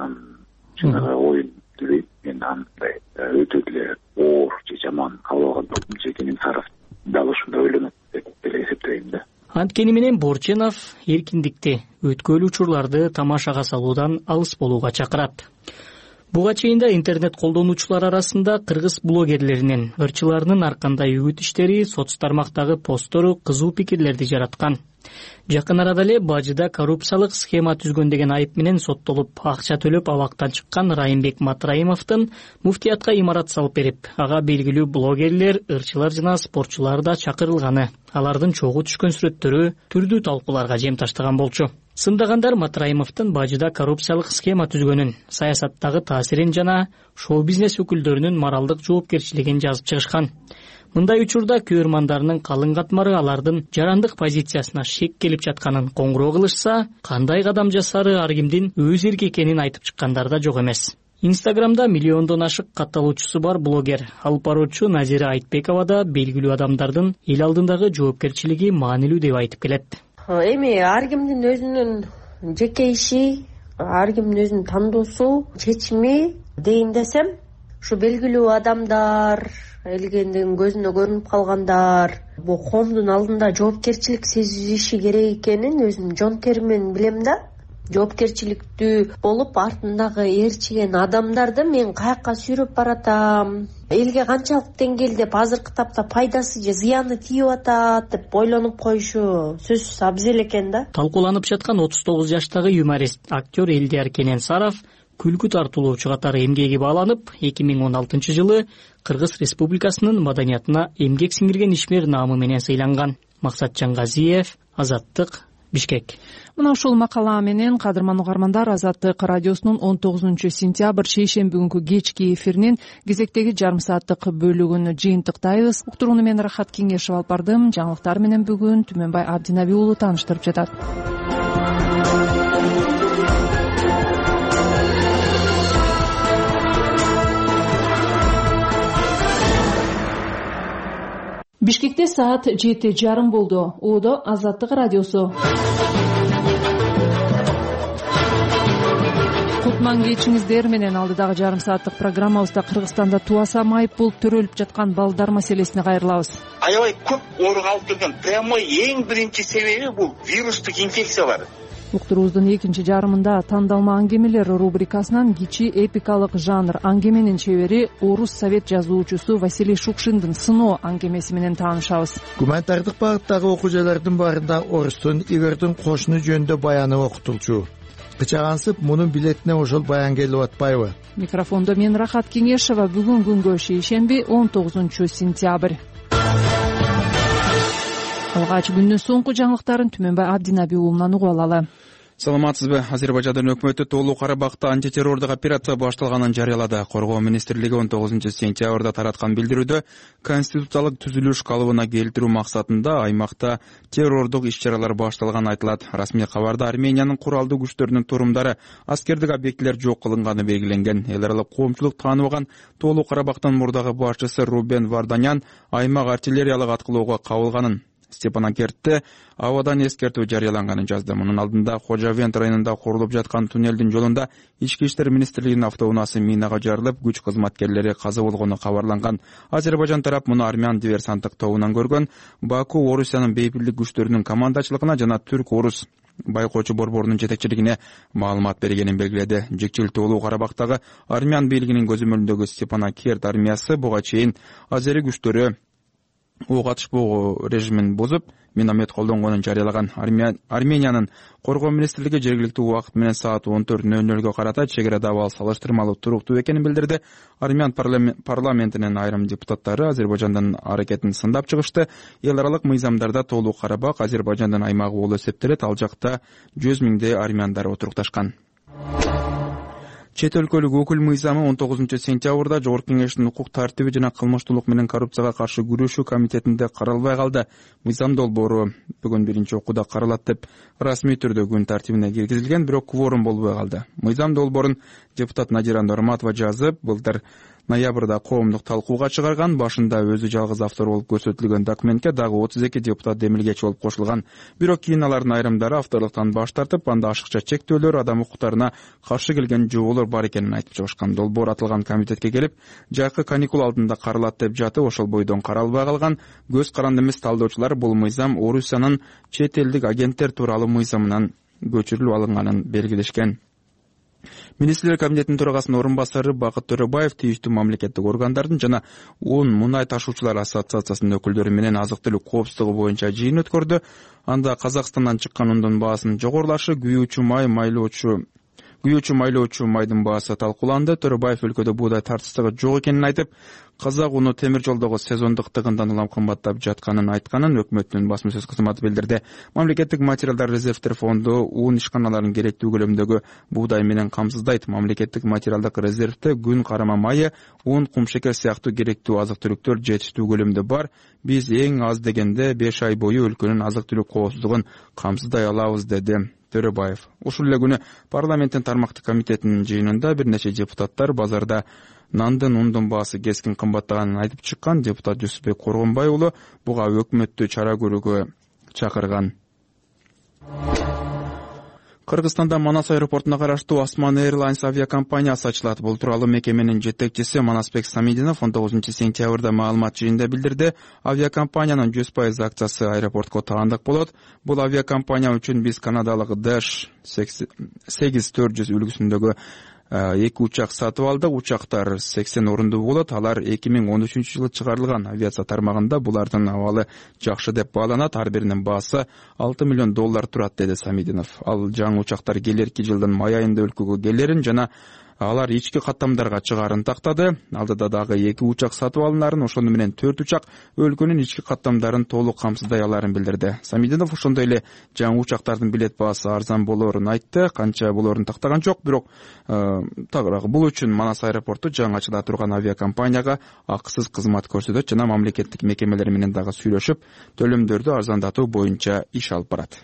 Жанагы оюн түзөйт. Мен андай өтө эле оор же жаман кабыл алган жокмун. Кененсаров дал ушундай ойлонот деп деле эсептейм да. Анткени менен Борченов эркиндикти, өткөрүлүү учурларды тамашага салуудан алыс болууга чакырат. Буга чейин да интернет колдонуучулар арасында кыргыз блогерлеринин, ырчыларынын аркандай үгүт иштери, соц тармактагы посттору кызуу пикирлерди жараткан. Жакын арада эле Бажыда коррупциялык схема түзгөн деген айып менен соттолуп, акча төлөп абактан чыккан Райымбек Матраимовдун муфтиятка имарат салып берип, ага белгилүү блогерлер, ырчылар жана спортчулар да чакырылганы. Алардын чогуу түшкөн сүрөттөрү түрдүү талкууларга жем таштаган болчу. Сындагандар Матраимовдун Бажыда коррупциялык схема түзгөнүн, саясаттагы таасирин жана шоу-бизнес өкүлдөрүнүн моралдык жоопкерчилигин жазып чыгышкан. Мындай учурда көрөрмандарынын калың катмары алардын жарандык позициясына шек келип жатканын коңгуроо кылышса, кандай кадам жасары ар кимдин өз эрки экенин айтып чыккандар да жок эмес. Инстаграмда миллиондон ашык катталуучусу бар блогер, алып баруучу Назира Айтбекова да белгилүү адамдардын эл алдындагы жоопкерчилиги маанилүү деп айтып келет. Эми ар кимдин өзүнүн жеке иши, ар кимдин өзүнүн тандоосу, чечими дейин десем, ушу белгилүү адамдар, элгендин көзүнө көрүнүп калгандар бул коомдун алдында жоопкерчилик сезиши керек экенин өзүм жон териммен билем да. жоопкерчиликтүү болуп артындагы ээрчиген адамдарды мен каякка сүйрөп баратам, элге канчалык деңгээлде азыркы тапта пайдасы же зыяны тийип атат деп ойлонуп коюшу сөзсүз абзел экен да. Талкууланып жаткан отуз тогуз жаштагы юморист, актер Элдияр Кененсаров күлкү тартуулоочу катары эмгеги бааланып, эки миң он алтынчы жылы Кыргыз Республикасынын маданиятына эмгек сиңирген ишмер наамы менен сыйланган. Максатжан Газиев, Азаттык, Бишкек. Мына ушул макала менен кадырман угармандар, Азаттык радиосунун он тогузунчу сентябрь шейшемби күнкү кечки эфиринин кезектеги жарым сааттык бөлүгүн жыйынтыктайбыз. Уктурууну мен Рахат Кеңешев алып бардым. Жаңылыктар менен бүгүн Түмөнбай Абдинаби уулу тааныштырып жатат. Бишкекте саат жети жарым болду. Оодо Азаттык радиосу. Кутман кечиңиздер менен алдыдагы жарым сааттык программабызда Кыргызстанда туаса майып болуп төрөлүп жаткан балдар маселесине кайрылабыз. Аябай көп ооруга алып келген прямой эң биринчи себеби бул вирустук инфекциялар. Уктуруубуздун экинчи жарымында тандалма аңгемелер рубрикасынан кичи эпикалык жанр аңгеменин чебери орус совет жазуучусу Василий Шукшиндин сыноо аңгемеси менен таанышабыз. Гуманитардык багыттагы окуучулардын баарында орустун Игордун кошуну жөнүндө баяны окутулчу. Кычагансып, мунун билетине ошол баян келип атпайбы? Микрофондо мен Рахат Кеңешева. Бүгүн күнгө шейшемби он тогузунчу сентябрь. Алгач күндүн соңку жаңылыктарын Түмөнбай Абдинаби уулунан угуп алалы. Саламатсызбы? Азербайжандын өкмөтү тоолуу Карабакта антитеррордук операция башталганын жарыялады. Коргоо министрлиги он тогузунчу сентябрда тараткан билдирүүдө конституциялык түзүлүш калыбына келтирүү максатында аймакта террордук иш-чаралар башталганы айтылат. Расмий кабарда Армениянын куралдуу күчтөрүнүн турумдары, аскердик объектилер жок кылынганы белгиленген. Эл аралык коомчулук тааныбаган тоолуу Карабактын мурдагы башчысы Рубен Варданян аймак артиллериялык аткылоого кабылганын, Степанакертте абадан эскертүү жарыяланганын жазды. Мунун алдында Хожавент районунда курулуп жаткан туннелдин жолунда Ички иштер министрлигинин автоунаасы минага жарылып, күч кызматкерлери каза болгону кабарланган. Азербайжан тарап муну армян диверсанттык тобунан көргөн. Баку Орусиянын бейбирлик күчтөрүнүн командачылыгына жана түрк-орус байкоочу борборунун жетекчилигине маалымат бергенин белгиледи. Жекчил тоолуу Карабактагы армян бийлигинин көзөмөлүндөгү Степанакерт армиясы буга чейин азери күчтөрү ок атышпоо режимин бузуп, миномет колдонгонун жарыялаган. Армениянын коргоо министрлиги жергиликтүү убакыт менен саат он төрт ноль нольго карата чек арада абал салыштырмалуу туруктуу экенин билдирди. Армян парламентинин айрым депутаттары Азербайжандын аракетин сындап чыгышты. Эл аралык мыйзамдарда тоолуу Карабак Азербайжандын аймагы болуп эсептелет. Ал жакта жүз миңдей армяндар отурукташкан. Чет өлкөлүк өкүл мыйзамы он тогузунчу сентябрда Жогорку Кеңештин укук тартиби жана кылмыштуулук менен коррупцияга каршы күрөшүү комитетинде каралбай калды. Мыйзам долбоору бүгүн биринчи окууда каралат деп расмий түрдө күн тартибине киргизилген, бирок кворум болбой калды. Мыйзам долбоорун депутат Надира Норматова жазып, былтыр ноябрда коомдук талкууга чыгарган. Башында өзү жалгыз автор болуп көрсөтүлгөн документке дагы отуз эки депутат демилгечи болуп кошулган. Бирок кийин алардын айрымдары авторлуктан баш тартып, анда ашыкча чектөөлөр, адам укуктарына каршы келген жоболор бар экенин айтып чыгышкан. Долбоор атылган комитетке келип, жакы каникул алдында каралат деп жатып, ошол бойдон каралбай калган. Көз каранды эмес талдоочулар бул мыйзам Орусиянын чет элдик агенттер тууралуу мыйзамынан көчүрүлүп алынганын белгилешкен. Министрлер кабинетинин төрагасынын орун басары Бакыт Төрөбаев тийиштүү мамлекеттик органдардын жана он мунай ташуучулар ассоциациясынын өкүлдөрү менен азык-түлүк коопсуздугу боюнча жыйын өткөрдү. Анда Казакстандан чыккан ундун баасынын жогорулашы, күйүүчү май, майлоочу күйүүчү майлоочу майдын баасы талкууланды. Төрөбаев өлкөдө буудай тартыштыгы жок экенин айтып, казак уну темир жолдогу сезондуктыгындан улам кымбаттап жатканын айтканын өкмөттүн басма сөз кызматы билдирди. Мамлекеттик материалдар резервтер фонду ун ишканаларын керектүү көлөмдөгү буудай менен камсыздайт. Мамлекеттик материалдык резервте күн карама майы, un, кумшекер сыяктуу керектүү азык-түлүктөр жетиштүү көлөмдө бар. Биз эң аз дегенде беш ай бою өлкөнүн азык-түлүк коопсуздугун камсыздай алабыз, деди Төрөбаев. Ушул эле күнү парламенттин тармактык комитетинин жыйынында бир нече депутаттар базарда нандын, ундун баасы кескин кымбаттаганын айтып чыккан. Депутат Жусупбек Коргонбай уулу буга өкмөттү чара көрүүгө чакырган. Кыргызстанда Манас аэропортуна караштуу Осман Airlines авиакомпаниясы ачылат. Бул тууралуу мекеменин жетекчиси Манасбек Самидинов он тогузунчу сентябрда маалымат жыйынында билдирди. Авиакомпаниянын жүз пайыз акциясы аэропортко таандык болот. Бул авиакомпания үчүн биз канадалык Dash сегиз төрт жүз үлгүсүндөгү эки учак сатып алдык. Учактар сексен орундуу болот. Алар эки миң он үчүнчү жылы чыгарылган. Авиация тармагында булардын абалы жакшы деп бааланат. Ар биринин баасы алты миллион доллар турат, деди Самидинов. Ал жаңы учактар келерки жылдын май айында өлкөгө келерин жана алар ички каттамдарга чыгаарын тактады. Алдыда дагы эки учак сатып алынарын, ошону менен төрт учак өлкөнүн ички каттамдарын толук камсыздай аларын билдирди. Самидинов ошондой эле жаңы учактардын билет баасы арзан болоорун айтты. Канча болоорун тактаган жок, бирок тагыраак бул үчүн Манас аэропорту жаңы ачыла турган авиакомпанияга акысыз кызмат көрсөтөт жана мамлекеттик мекемелер менен дагы сүйлөшүп, төлөмдөрдү арзандатуу боюнча иш алып барат.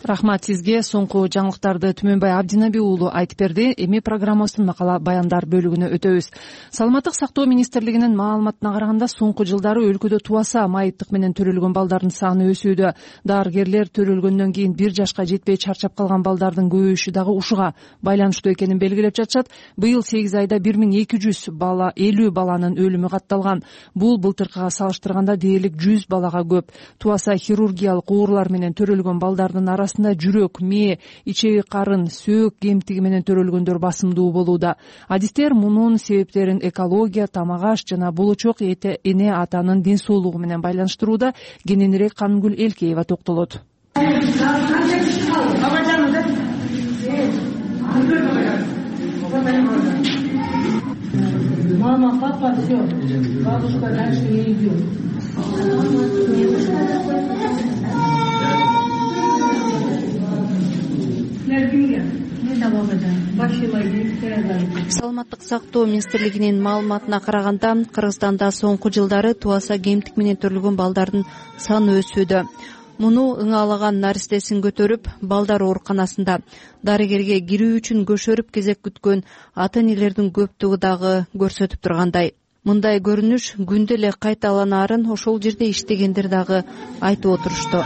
Рахмат сизге. Соңку жаңылыктарды Түмөнбай Абдинаби уулу айтып берди. Эми программабыздын баяндар бөлүгүнө өтөбүз. Саламаттык сактоо министрлигинин маалыматына караганда, соңку жылдары өлкөдө туаса майыптык менен төрөлгөн балдардын саны өсүүдө. Дарыгерлер төрөлгөндөн кийин бир жашка жетпей чарчап калган балдардын көбөйүшү дагы ушуга байланыштуу экенин белгилеп жатышат. Быйыл сегиз айда бир миң эки жүз бала, элүү баланын өлүмү катталган. Бул былтыркыга салыштырганда дээрлик жүз балага көп. Туаса хирургиялык оорулар менен төрөлгөн балдардын арасында жүрөк, мээ, ичеги карын, сөөк кемтиги менен төрөлгөндөр басымдуу болууда. Адистер мунун себептерин экология, тамак аш жана болочок эне атанын ден соолугу менен байланыштырууда. Кененирээк Канымгүл Элкеева токтолот. Мама, папа, все. Бабушка дальше не идет. Саламаттык сактоо министрлигинин маалыматына караганда, Кыргызстанда соңку жылдары туаса кемтик менен төрөлгөн балдардын саны өсүүдө. Муну ыңалаган наристесин көтөрүп, балдар ооруканасында дарыгерге кирүү үчүн көшөрүп кезек күткөн ата-энелердин көптүгү дагы көрсөтүп тургандай. Мындай көрүнүш күндө эле кайталанаарын ошол жерде иштегендер дагы айтып отурушту.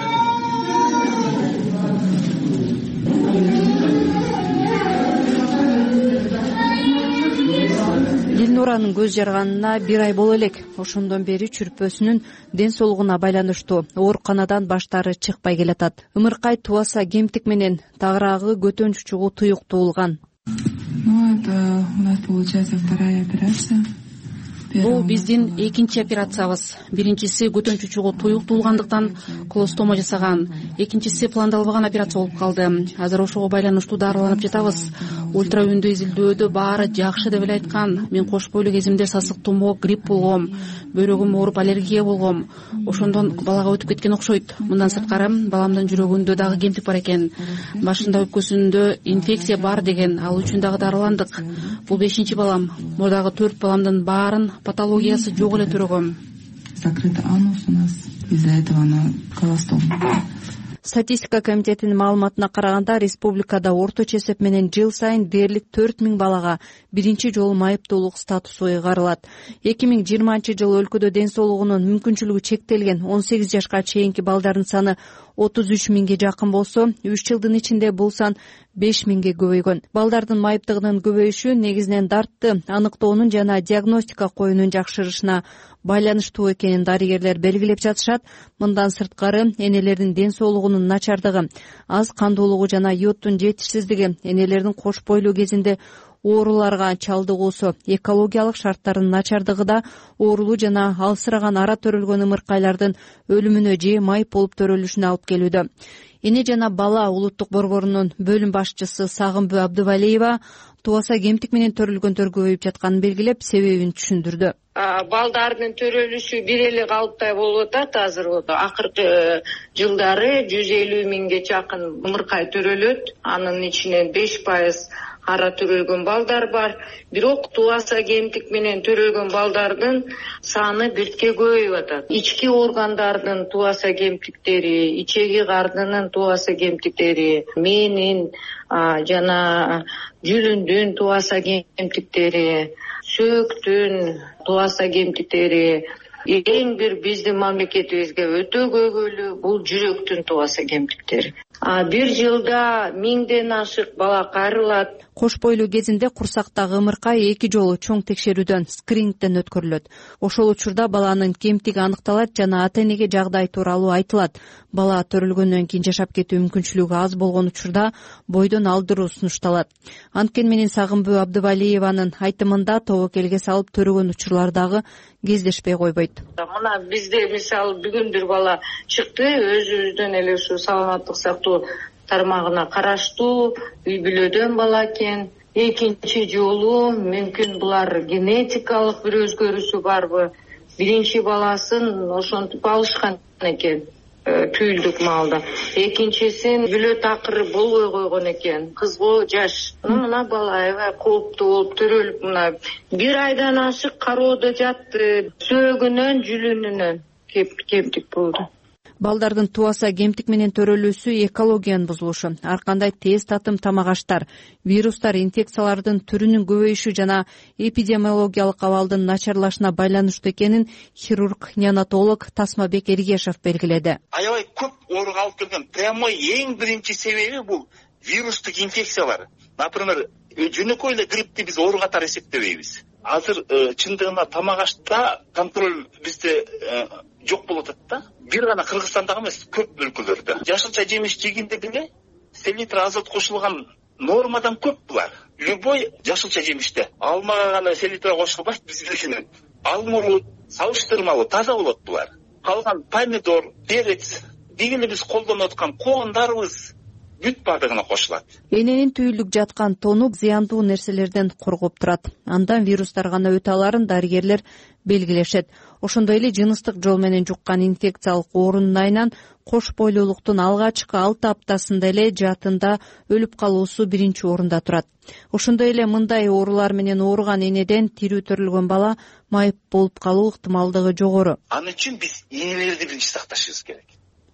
Дилнуранын көз жарганына бир ай боло элек. Ошондон бери чүрпөсүнүн ден соолугуна байланыштуу ооруканадан баштары чыкпай келатат. Ымыркай туаса кемтик менен тагыраагы көтөнчү чугуу туюк туулган. Ну, это у нас получается вторая операция. Бул биздин экинчи операциябыз. Биринчиси көтөнчү чугуу туюк туулгандыктан колостома жасаган, экинчиси пландалбаган операция болуп калды. Азыр ошого байланыштуу дарыланып жатабыз. Ультраүндүү изилдөөдө баары жакшы деп эле айткан. Мен кош бойлуу кезимде сасык тумоо, грипп болгом, бөйрөгүм ооруп аллергия болгом. Ошондон балага өтүп кеткен окшойт. Мындан сырткары баламдын жүрөгүндө дагы кемтик бар экен. Башында өпкөсүндө инфекция бар деген, ал үчүн дагы дарыландык. Бул бешинчи балам. Мурдагы төрт баламдын баарын патологиясы жок эле төрөгөм. Закрытый анус у нас, из-за этого она колостом. Статистика комитетинин маалыматына караганда, республикада орточо эсеп менен жыл сайын дээрлик төрт миң балага биринчи жолу майыптуулук статусу ыйгарылат. эки миң жыйырманчы жылы өлкөдө ден соолугунун мүмкүнчүлүгү чектелген он сегиз жашка чейинки балдардын саны отуз үч миңге жакын болсо, үч жылдын ичинде бул сан беш миңге көбөйгөн. Балдардын майыптыгынын көбөйүшү негизинен дартты аныктоонун жана диагностика коюунун жакшырышына байланыштуу экенин дарыгерлер белгилеп жатышат. Мындан сырткары энелердин ден соолугунун начардыгы, аз кандуулугу жана йодтун жетишсиздиги, энелердин кош бойлуу кезинде ооруларга чалдыгуусу, экологиялык шарттардын начардыгы да оорулуу жана алсыраган ара төрөлгөн ымыркайлардын өлүмүнө же майып болуп төрөлүшүнө алып келүүдө. Эне жана бала улуттук борборунун бөлүм башчысы Сагынбү Абдывалиева туаса кемтик менен төрөлгөндөр көбөйүп жатканын белгилеп, себебин түшүндүрдү. Балдардын төрөлүшү бир эле калыптай болуп атат. Азыр акыркы жылдары жүз элүү миңге жакын ымыркай төрөлөт. Анын ичинен беш пайыз ара төрөлгөн балдар бар. Бирок туаса кемтик менен төрөлгөн балдардын саны биртке көбөйүп атат. Ички органдардын туаса кемтиктери, ичеги кардынын туаса кемтиктери, мээнин жана жүлүндүн туаса кемтиктери, сөөктүн туаса кемтиктери, эң бир биздин мамлекетибизге өтө көбөлүү бул жүрөктүн туаса кемтиктери. бир жылда миңден ашык бала кайрылат. Кош бойлуу кезинде курсактагы ымыркай эки жолу чоң текшерүүдөн, скринингден өткөрүлөт. Ошол учурда баланын кемтиги аныкталат жана ата-энеге жагдай тууралуу айтылат. Бала төрөлгөндөн кийин жашап кетүү мүмкүнчүлүгү аз болгон учурда бойдон алдыруу сунушталат. Анткени менен Сагынбүү Абдывалиеванын айтымында тобокелге салып төрөгөн учурлар дагы кездешпей койбойт. Мына бизде мисалы бүгүн бир бала чыкты, өзүбүздөн эле ушу саламаттык сактоо тармагына караштуу үй бүлөдөн бала экен. Экинчи жолу мүмкүн булар генетикалык бир өзгөрүүсү барбы? Биринчи баласын ошентип алышкан экен түйүлдүк маалда. Экинчисин бүлө такыры болбой койгон экен. Кызго жаш. Мына бала аябай кооптуу болуп төрөлүп, мына бир айдан ашык кароодо жатты. Сөөгүнөн, жүлүнүнөн кемтик болду. Балдардын тубаса кемтик менен төрөлүүсү экологиянын бузулушу, ар кандай тез татым тамак аштар, вирустар, инфекциялардын түрүнүн көбөйүшү жана эпидемиологиялык абалдын начарлашына байланыштуу экенин хирург, неонатолог Тасмабек Эргешев белгиледи. Аябай көп ооруга алып келген прямой эң биринчи себеби бул вирустук инфекциялар. Например, жөнөкөй эле гриппти биз оору катары эсептебейбиз. Азыр чындыгында тамак ашта контроль бизде жок болуп атат да. Бир гана Кыргызстандагы эмес, көп өлкөлөрдө. Жашылча жемиш жегенде деле селитр азот кошулган нормадан көп булар. Любой жашылча жемиште алмага гана селитр кошулбайт биздекинен. Алмуру салыштырмалуу таза болот булар. Калган помидор, перец, дегенде биз колдонуп аткан коондарыбыз бүт баардыгына кошулат. Эненин түйүлдүк жаткан тону зыяндуу нерселерден коргоп турат. Андан вирустар гана өтө аларын дарыгерлер белгилешет. Ошондой эле жыныстык жол менен жуккан инфекциялык оорунун айынан кош бойлуулуктун алгачкы алты аптасында эле жаатында өлүп калуусу биринчи орунда турат. Ошондой эле мындай оорулар менен ооруган энеден тирүү төрөлгөн бала майып болуп калуу ыктымалдыгы жогору. Аны үчүн биз энелерди биринчи сакташыбыз керек.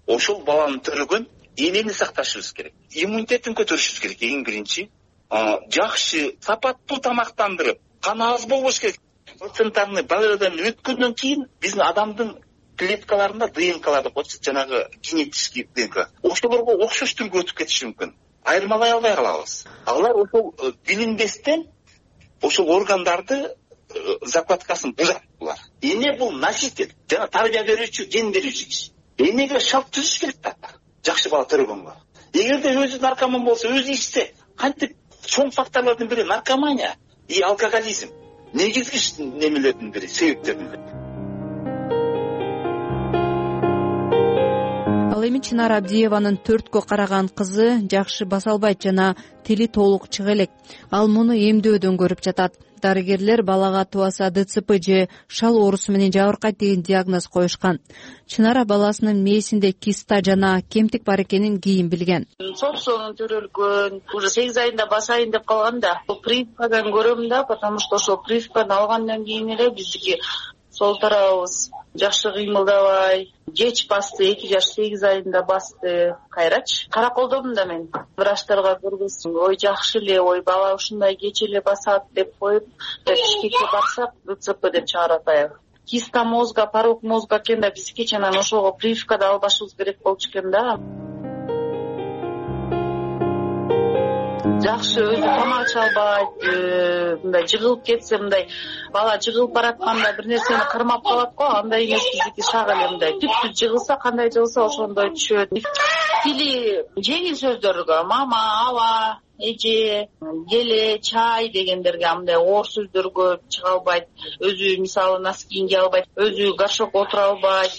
Ошол баланы төрөгөн энени сакташыбыз керек. Иммунитетин көтөрүшүбүз керек эң биринчи. Жакшы, сапаттуу тамактандырып, кан аз болбош керек. Процентарный баладан өткөндөн кийин биздин адамдын клеткаларында ДНКларды коет, жанагы генетический ДНК. Ошолорго окшош түргө өтүп кетиши мүмкүн. Айырмалай албай калабыз. Алар ошол билинбестен ошол органдарды закладкасын бузат булар. Эне бул носитель, жана тарбия берүүчү, ген берүүчү киши. Энеге шарт түзүш керек да. Жакшы бала төрөгөнгө. Эгерде өзү наркоман болсо, өзү ичсе, кантип чоң факторлордун бири наркомания и алкоголизм. Негизги немелердин бири, себептердин бири. Ал эми Чынар Абдиеванын төрткө караган кызы жакшы баса албайт жана тили толук чыга элек. Ал муну эмдөөдөн көрүп жатат. Дарыгерлер балага тубаса ДЦП же шал оорусу менен жабыркайт деген диагноз коюшкан. Чынара баласынын мээсинде киста жана кемтик бар экенин кийин билген. Собсонун төрөлгөн, уже сегиз айында басайын деп калган да. Прививкадан көрөм да, потому что ошол прививканы алгандан кийин эле биздики сол тарабыбыз жакшы кыймылдабай, кеч басты, эки жаш сегиз айында басты. Кайрач караколдодум да мен. Врачтарга көргөзсүм, ой жакшы эле, ой бала ушундай кеч эле басат деп коюп, Бишкекке барсак ДЦП деп чыгарат аяк. Киста мозга, порок мозга экен да, биз кеченен ошого прививкада албашыбыз керек болчу экен да. Жакшы өзү тамак иче албайт, мындай жыгылып кетсе, мындай бала жыгылып баратканда бир нерсени кырмап калат го, андай эмес биздики шак эле мындай. Түп-түп жыгылса, кандай жыгылса ошондой түшөт. Тили жеңил сөздөргө мама, аба, эже, келе, чай дегендерге мындай оор сөздөргө чыга албайт. Өзү мисалы носки кийинге албайт, өзү горшокко отура албайт.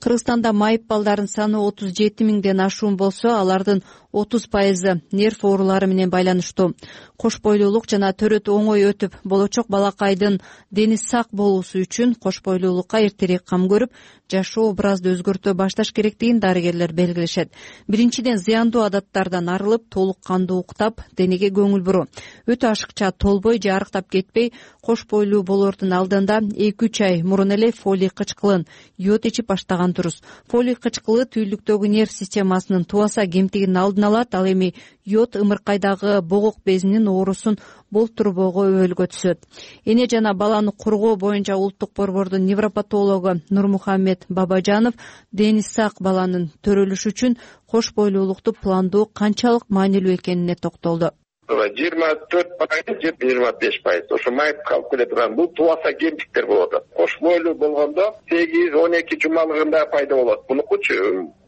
Кыргызстанда майып балдардын саны отуз жети миңден ашуун болсо, алардын отуз пайызы нерв оорулары менен байланыштуу. Кош бойлуулук жана төрөт оңой өтүп, болочок балакайдын дени сак болуусу үчүн кош бойлуулукка эртерээк кам көрүп, жашоо образды өзгөртө башташ керектигин дарыгерлер белгилешет. Биринчиден, зыяндуу адаттардан арылып, толук кандуу уктап, денеге көңүл буруу. Өтө ашыкча толбой же арыктап кетпей, кош бойлуу болоордун алдында эки үч ай мурун эле фолий кычкылын, йод ичип баштаган туруктонгон туруз. Фолий кычкылы түйүлдүктөгү нерв системасынын тубаса кемтигин алдын алат, ал эми йод ымыркайдагы богок безинин оорусун болтурбоого өбөлгө түзөт. Эне жана баланы коргоо боюнча улуттук борбордун невропатологу Нурмухаммед Бабажанов дени сак баланын төрөлүшү үчүн кош бойлуулукту пландоо канчалык маанилүү экенине токтолду. жыйырма төрт пайыз же жыйырма беш пайыз ошо майып калып келе турган бул тубаса кемтиктер болуп атат. Кош бойлуу болгондо сегиз он эки жумалыгында пайда болот. Бунукучу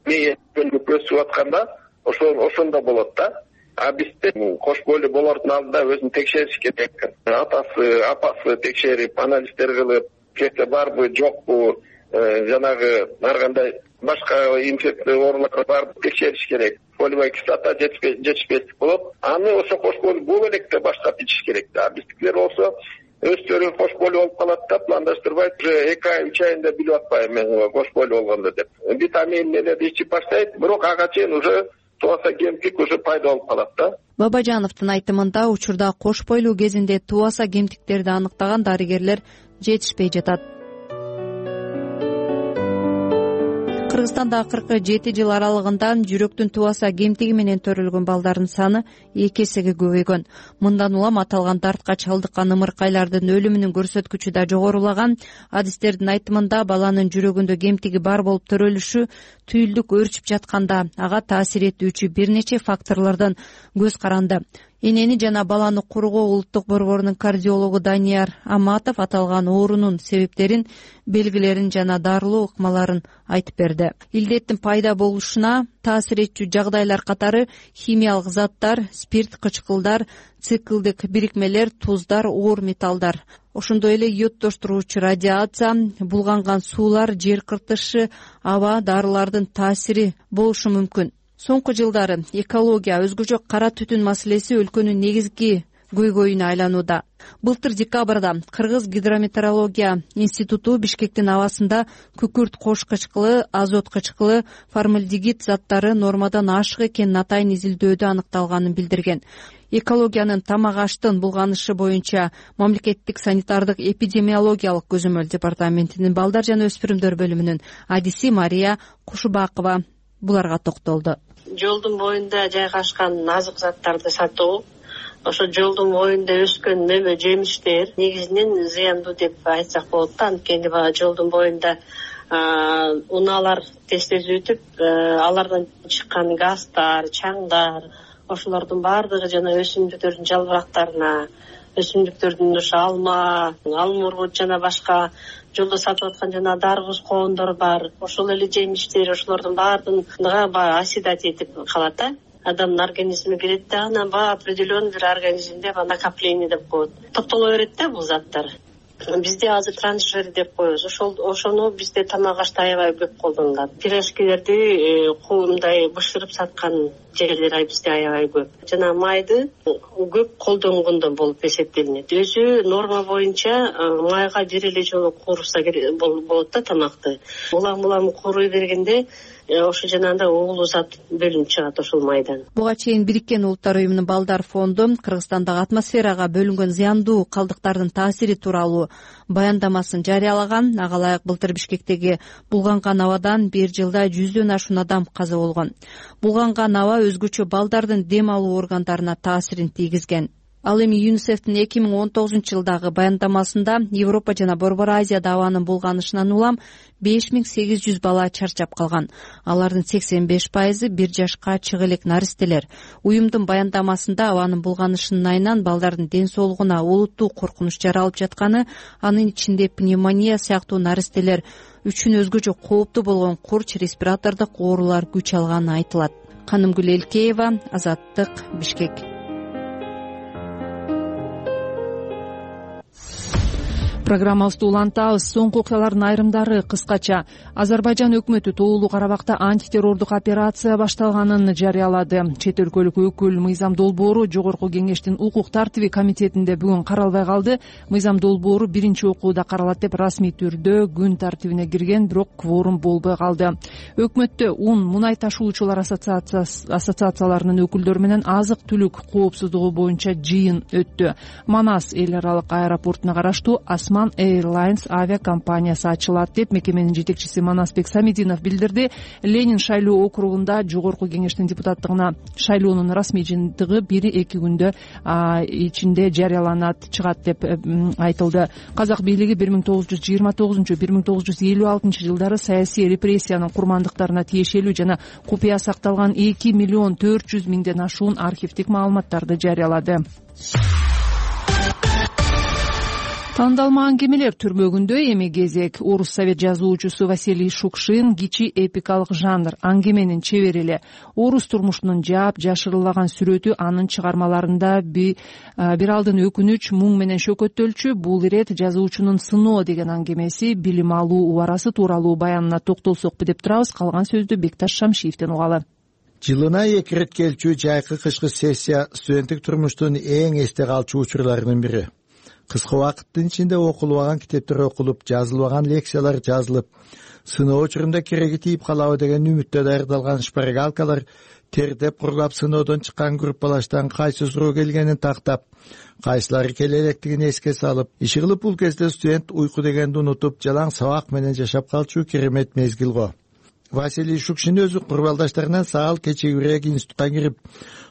мээөнүп өсүп атканда ошо ошондо болот да. А бизде кош бойлуу болордун алдында өзүн текшериш керек. Атасы, апасы текшерип, анализдер кылып, кете барбы, жокпу, жанагы ар кандай башка инфекция оорулар бар текшериш керек. Фолиевая кислота жетишпештик болот. Аны ошо кош бойлуу бул электе баштап ичиш керек да. Биздикилер болсо өздөрү кош бойлуу болуп калат да, пландаштырбайт. Уже эки ай, үч айында билип атпайм мен кош бойлуу болгондо деп. Витамин менен ичип баштайт, бирок ага чейин уже тубаса кемтик уже пайда болуп калат да. Бабажановдун айтымында учурда кош бойлуу кезинде тубаса кемтиктерди аныктаган дарыгерлер жетишпей жатат. Кыргызстанда акыркы жети жыл аралыгында жүрөктүн тубаса кемтиги менен төрөлгөн балдардын саны эки эсеге көбөйгөн. Мындан улам аталган дартка чалдыккан ымыркайлардын өлүмүнүн көрсөткүчү да жогорулаган. Адистердин айтымында баланын жүрөгүндө кемтиги бар болуп төрөлүшү түйүлдүк өөрчүп жатканда ага таасир этүүчү бир нече факторлордон көз каранды. Энени жана баланы коргоо улуттук борборунун кардиологу Данияр Аматов аталган оорунун себептерин, белгилерин жана дарылоо ыкмаларын айтып берди. Илдеттин пайда болушуна таасир этчү жагдайлар катары химиялык заттар, спирт, кычкылдар, циклдик бирикмелер, туздар, оор металлдар. Ошондой эле йоддоштуруучу радиация, булганган суулар, жер кыртышы, аба, дарылардын таасири болушу мүмкүн. Соңку жылдары экология, өзгөчө кара түтүн маселеси өлкөнүн негизги көйгөйүнө айланууда. Былтыр декабрда Кыргыз гидрометеорология институту Бишкектин абасында күкүрт, кош кычкылы, азот кычкылы, формальдегид заттары нормадан ашык экенин атайын изилдөөдө аныкталганын билдирген. Экологиянын тамак аштын булганышы боюнча мамлекеттик санитардык эпидемиологиялык көзөмөл департаментинин балдар жана өспүрүмдөр бөлүмүнүн адиси Мария Кушубакова буларга токтолду. Жолдун боюнда жайгашкан азык заттарды сатуу, ошо жолдун боюнда өскөн мөмө жемиштер негизинен зыяндуу деп айтсак болот да. Анткени баягы жолдун боюнда унаалар тез-тез өтүп, алардан чыккан газдар, чаңдар, ошолордун баардыгы жана өсүмдүктөрдүн жалбырактарына, өсүмдүктөрдүн ошо алма, алмурут жана башка жолдо сатып аткан жана дарбыз коондор бар. Ошол эле жемиштер, ошолордун баардыгына баягы осидать этип калат да. Адамдын организмине кирет да, анан баягы определенный бир организмде накопление деп коет. Топтоло берет да бул заттар. Бизде азыр трансжир деп коебуз. Ошол ошону бизде тамак ашта аябай көп колдонулат. Пирожкилерди мындай бышырып саткан жерлер бизде аябай көп. Жана майды көп колдонгондон болуп эсептелинет. Өзү норма боюнча майга бир эле жолу куурса болот да тамакты. Улам улам кууруй бергенде ошо жанагындай уулуу зат бөлүнүп чыгат ошол майдан. Буга чейин Бириккен Улуттар уюмунун балдар фонду Кыргызстандагы атмосферага бөлүнгөн зыяндуу калдыктардын таасири тууралуу баяндамасын жарыялаган. Ага ылайык былтыр Бишкектеги булганган абадан бир жылда жүздөн ашуун адам каза болгон. Булганган аба өзгөчө балдардын дем алуу органдарына таасирин тийгизген. Ал эми ЮНИСЕФтин эки миң он тогузунчу жылдагы баяндамасында Европа жана Борбор Азияда абанын булганышынан улам беш миң сегиз жүз бала чарчап калган. Алардын сексен беш пайызы бир жашка чыга элек наристелер. Уюмдун баяндамасында абанын булганышынын айынан балдардын ден соолугуна олуттуу коркунуч жаралып жатканы, анын ичинде пневмония сыяктуу наристелер үчүн өзгөчө кооптуу болгон курч респиратордук оорулар күч алганы айтылат. Канымгүл Элкеева, Азаттык, Бишкек. Программабызды улантабыз. Соңку окуялардын айрымдары кыскача. Азербайжан өкмөтү Тоолуу Карабакта антитеррордук операция башталганын жарыялады. Чет өлкөлүк өкүл Мыйзам Долбоору Жогорку Кеңештин укук тартиби комитетинде бүгүн каралбай калды. Мыйзам Долбоору биринчи окууда каралат деп расмий түрдө күн тартибине кирген, бирок кворум болбой калды. Өкмөттө ун мунай ташуучулар ассоциацияларынын өкүлдөрү менен азык түлүк коопсуздугу боюнча жыйын өттү. Манас эл аралык аэропортуна караштуу Асма Osman Airlines авиакомпаниясы ачылат деп мекеменин жетекчиси Манасбек Самидинов билдирди. Ленин шайлоо округунда жогорку кеңештин депутаттыгына шайлоонун расмий жыйынтыгы бир эки күндө ичинде жарыяланат чыгат деп айтылды. Казак бийлиги бир миң тогуз жүз жыйырма тогузунчу бир миң тогуз жүз элүү алтынчы жылдары саясий репрессиянын курмандыктарына тиешелүү жана купуя сакталган эки миллион төрт жүз миңден ашуун архивдик маалыматтарды жарыялады. Тандалма аңгемелер түрмөгүндө эми кезек. Орус совет жазуучусу Василий Шукшин кичи эпикалык жанр аңгеменин чебери. Орус турмушунун жаап жашырылаган сүрөтү анын чыгармаларында бир алдын өкүнүч, муң менен шөкөттөлчү. Бул ирет жазуучунун Сыноо деген аңгемеси билим алуу убарасы тууралуу баянына токтолсокпу деп турабыз. Калган сөздү Бекташ Шамшиевден угалы. Жылына эки ирет келчү жайкы кышкы сессия студенттик турмуштун эң эсте калчу учурларынын бири. Кыска убакыттын ичинде окулбаган китептер окулуп, жазылбаган лекциялар жазылып, сыноо учурунда кереги тийип калабы деген үмүттө даярдалган шпаргалкалар тердеп курлап сыноодон чыккан группалаштан кайсы суроо келгенин тактап, кайсылары келе электигин эске салып, иши кылып бул кезде студент уйку дегенди унутуп, жалаң сабак менен жашап калчу керемет мезгил го. Василий Шукшин өзү курбалдаштарынан саал кечегирээк институтка кирип,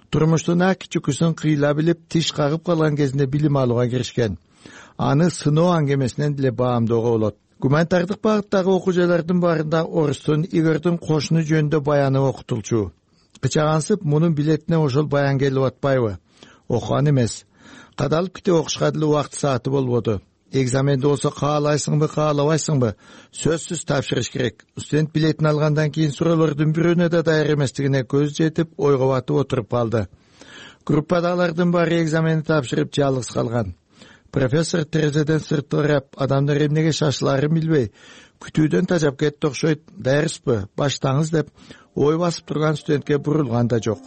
турмуштун аки чүкүсүн кыйла билип, тиш кагып калган кезинде билим алууга киришкен. Аны Сыноо аңгемесинен деле баамдоого болот. Гуманитардык багыттагы окуу жайлардын баарында орустун Игордун кошуну жөнүндө баяны окутулчу. Кычагансып, мунун билетине ошол баян келип атпайбы? Окуган эмес. Кадалып китеп окушка деле убакыт сааты болбоду. Экзаменде болсо каалайсыңбы, каалабайсыңбы? Сөзсүз тапшырыш керек. Студент билетин алгандан кийин суроолордун бирөөнө да даяр эместигине көз жетип, ойго батып отуруп калды. Группадагылардын баары экзаменди тапшырып жалгыз калган. Профессор терезеден сырттырап, адамдар эмнеге шашыларын билбей, күтүүдөн тажап кетти окшойт. Даярсызбы? Баштаңыз деп ой басып турган студентке бурулган да жок.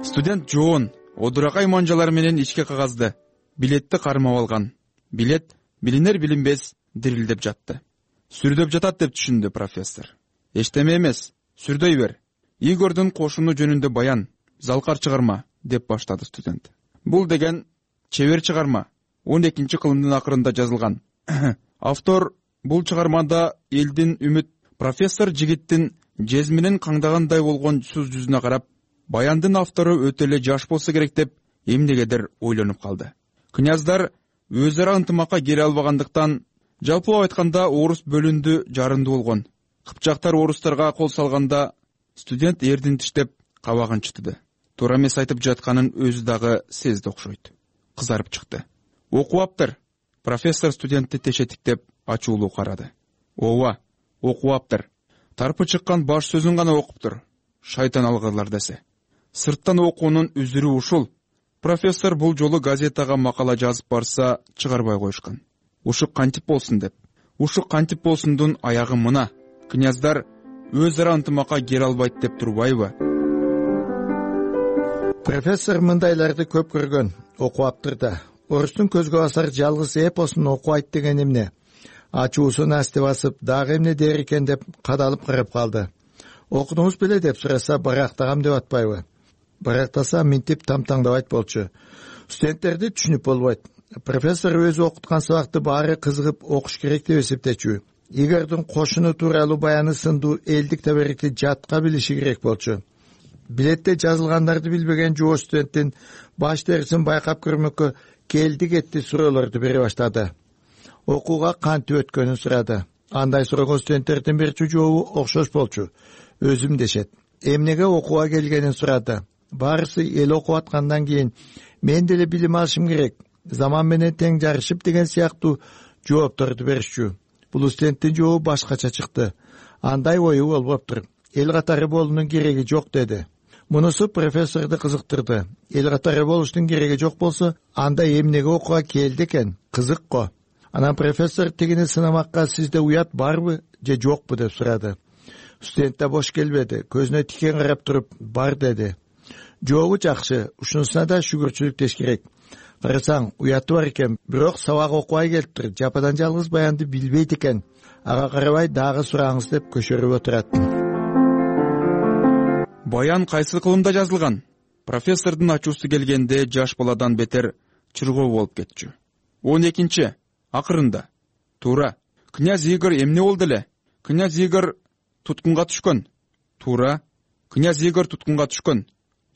Студент жоон одуракай манжалар менен ичке кагазды билетти кармап алган. Билет билинер билинбес дирилдеп жатты. Сүрдөп жатат деп түшүндү профессор. Эчтеме эмес, сүрдөй бер. Игордун кошуну жөнүндө баян, залкар чыгарма деп баштады студент. Бул деген чебер чыгарма, он экинчи кылымдын акырында жазылган. Автор бул чыгармада элдин үмүт. Профессор жигиттин жезминин каңдагандай болгон сүз жүзүнө карап, баяндын автору өтө эле жаш болсо керек деп эмнегедир ойлонуп калды. Княздар өз ара ынтымакка келе албагандыктан, жалпылап айтканда орус бөлүндү, жарынды болгон. Кыпчактар орустарга кол салганда студент эрдин тиштеп кабагын чытты. Туура эмес айтып жатканын өзү дагы сезди окшойт. Кызарып чыкты. Окуаптыр. Профессор студентти тешетиктеп ачуулуу карады. Ооба, окуаптыр. Тарпы чыккан баш сөзүн гана окуптур. Шайтан алгырлар десе. Сырттан окуунун үзүрү ушул. Профессор бул жолу газетага макала жазып барса чыгарбай коюшкан. Ушук кантип болсун деп. Ушук кантип болсундун аягы мына. Княздар өз ара ынтымакка келе албайт деп турбайбы? Профессор мындайларды көп көргөн, окуаптыр да. Орустун көзгө басар жалгыз эпосун окубайт деген эмне? Ачуусун асты басып, дагы эмне дер экен деп кадалып карап калды. Окудуңуз беле деп сураса, барактагам деп атпайбы? Барактаса минтип тамтаңдабайт болчу. Студенттерди түшүнүп болбойт. Профессор өзү окуткан сабакты баары кызыгып окуш керек деп эсептечү. Игордун кошуну тууралуу баяны сындуу элдик табарикти жатка билиши керек болчу. Билетте жазылгандарды билбеген жоо студенттин баш терисин байкап көрмөккө келди кетти суроолорду бере баштады. Окууга кантип өткөнүн сурады. Андай сураган студенттердин бирчи жообу окшош болчу. Өзүм дешет. Эмнеге окууга келгенин сурады. Баарысы эл окуп аткандан кийин мен деле билим алышым керек, заман менен тең жарышып деген сыяктуу жоопторду беришчү. Бул студенттин жообу башкача чыкты. Андай ою болбоптур. Эл катары болуунун кереги жок деди. Мунусу профессорду кызыктырды. Эл катары болуштун кереги жок болсо, анда эмнеге окууга келди экен? Кызык го. Анан профессор тигини сынамакка сизде уят барбы же жокпу деп сурады. Студент да бош келбеди. Көзүнө тикен карап туруп, бар деди. Жообу жакшы, ушунусуна да шүгүрчүлүк деш керек. Карасаң, уяты бар экен, бирок сабак окубай келиптир. Жападан жалгыз баянды билбейт экен. Ага карабай дагы сураңыз деп көчөрүп отурат. Баян кайсы кылымда жазылган? Профессордун ачуусу келгенде жаш баладан бетер чыргоо болуп кетчү. он экинчи акырында туура. Князь Игорь эмне болду эле? Князь Игорь туткунга түшкөн. Туура. Князь Игорь туткунга түшкөн.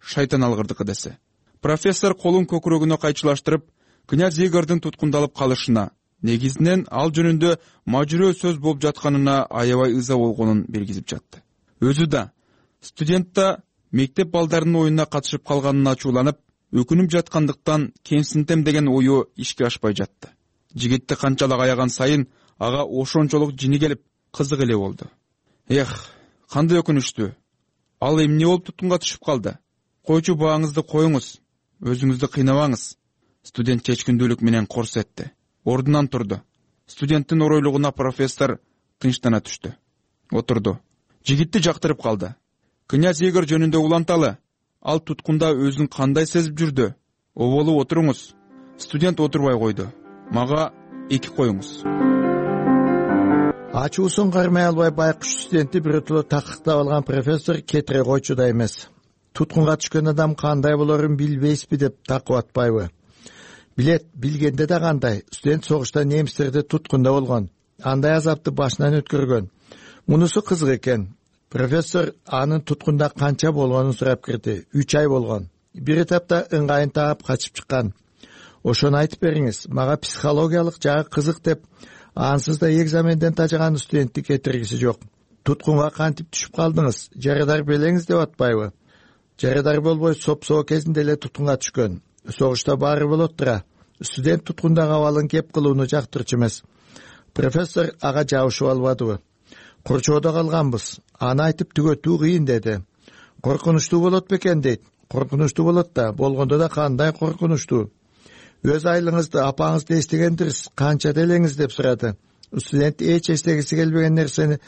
Шайтан алгырдыкы десе. Профессор колун көкүрөгүнө кайчылаштырып, князь Игорьдун туткундалып калышына, негизинен ал жөнүндө мажүрөө сөз болуп жатканына аябай ыза болгонун белгизип жатты. Өзү да, студент да мектеп балдарынын оюнуна катышып калганына ачууланып, өкүнүп жаткандыктан кемсинтем деген ою ишке ашпай жатты. Жигитти канчалык аяган сайын ага ошончолук жини келип, кызык эле болду. Эх, кандай өкүнүчтүү. Ал эмне болуп туткунга түшүп калды? Койчу бааңызды коюңуз, өзүңүздү кыйнабаңыз. Студент чечкиндүүлүк менен корс этти. Ордунан турду. Студенттин оройлугуна профессор тынчтана түштү. Отурду. Жигитти жактырып калды. Князь Игорь жөнүндө уланталы. Ал туткунда өзүн кандай сезип жүрдү? Оболуп отуруңуз. Студент отурбай койду. Мага эки коюңуз. Ачуусун кармай албай байкуш студентти биротоло такыктап алган профессор кетире койчу да эмес. Туткунга түшкөн адам кандай болорун билбейсизби деп такып атпайбы? Билет, билгенде да кандай. Студент согушта немистерди туткунда болгон. Андай азапты башынан өткөргөн. Мунусу кызык экен. Профессор анын туткунда канча болгонун сурап кирди. үч ай болгон. Бир этапта ыңгайын таап качып чыккан. Ошону айтып бериңиз. Мага психологиялык жагы кызык деп ансыз да экзаменден тажаган студентти кетиргиси жок. Туткунга кантип түшүп калдыңыз? Жарадар белеңиз деп атпайбы? Жарадар болбой сопсоо кезинде эле туткунга түшкөн. Согушта баары болот тура. Студент туткундагы абалын кеп кылууну жактырчу эмес. Профессор ага жабышып албадыбы? Корчоодо калганбыз. Аны айтып түгөтүү кыйын деди. Коркунучтуу болот бекен дейт. Коркунучтуу болот да, болгондо да кандай коркунучтуу. Өз айлыңызды апаңызды эстегендирсиз, канча делеңиз деп сурады. Студент эч эстегиси келбеген нерсени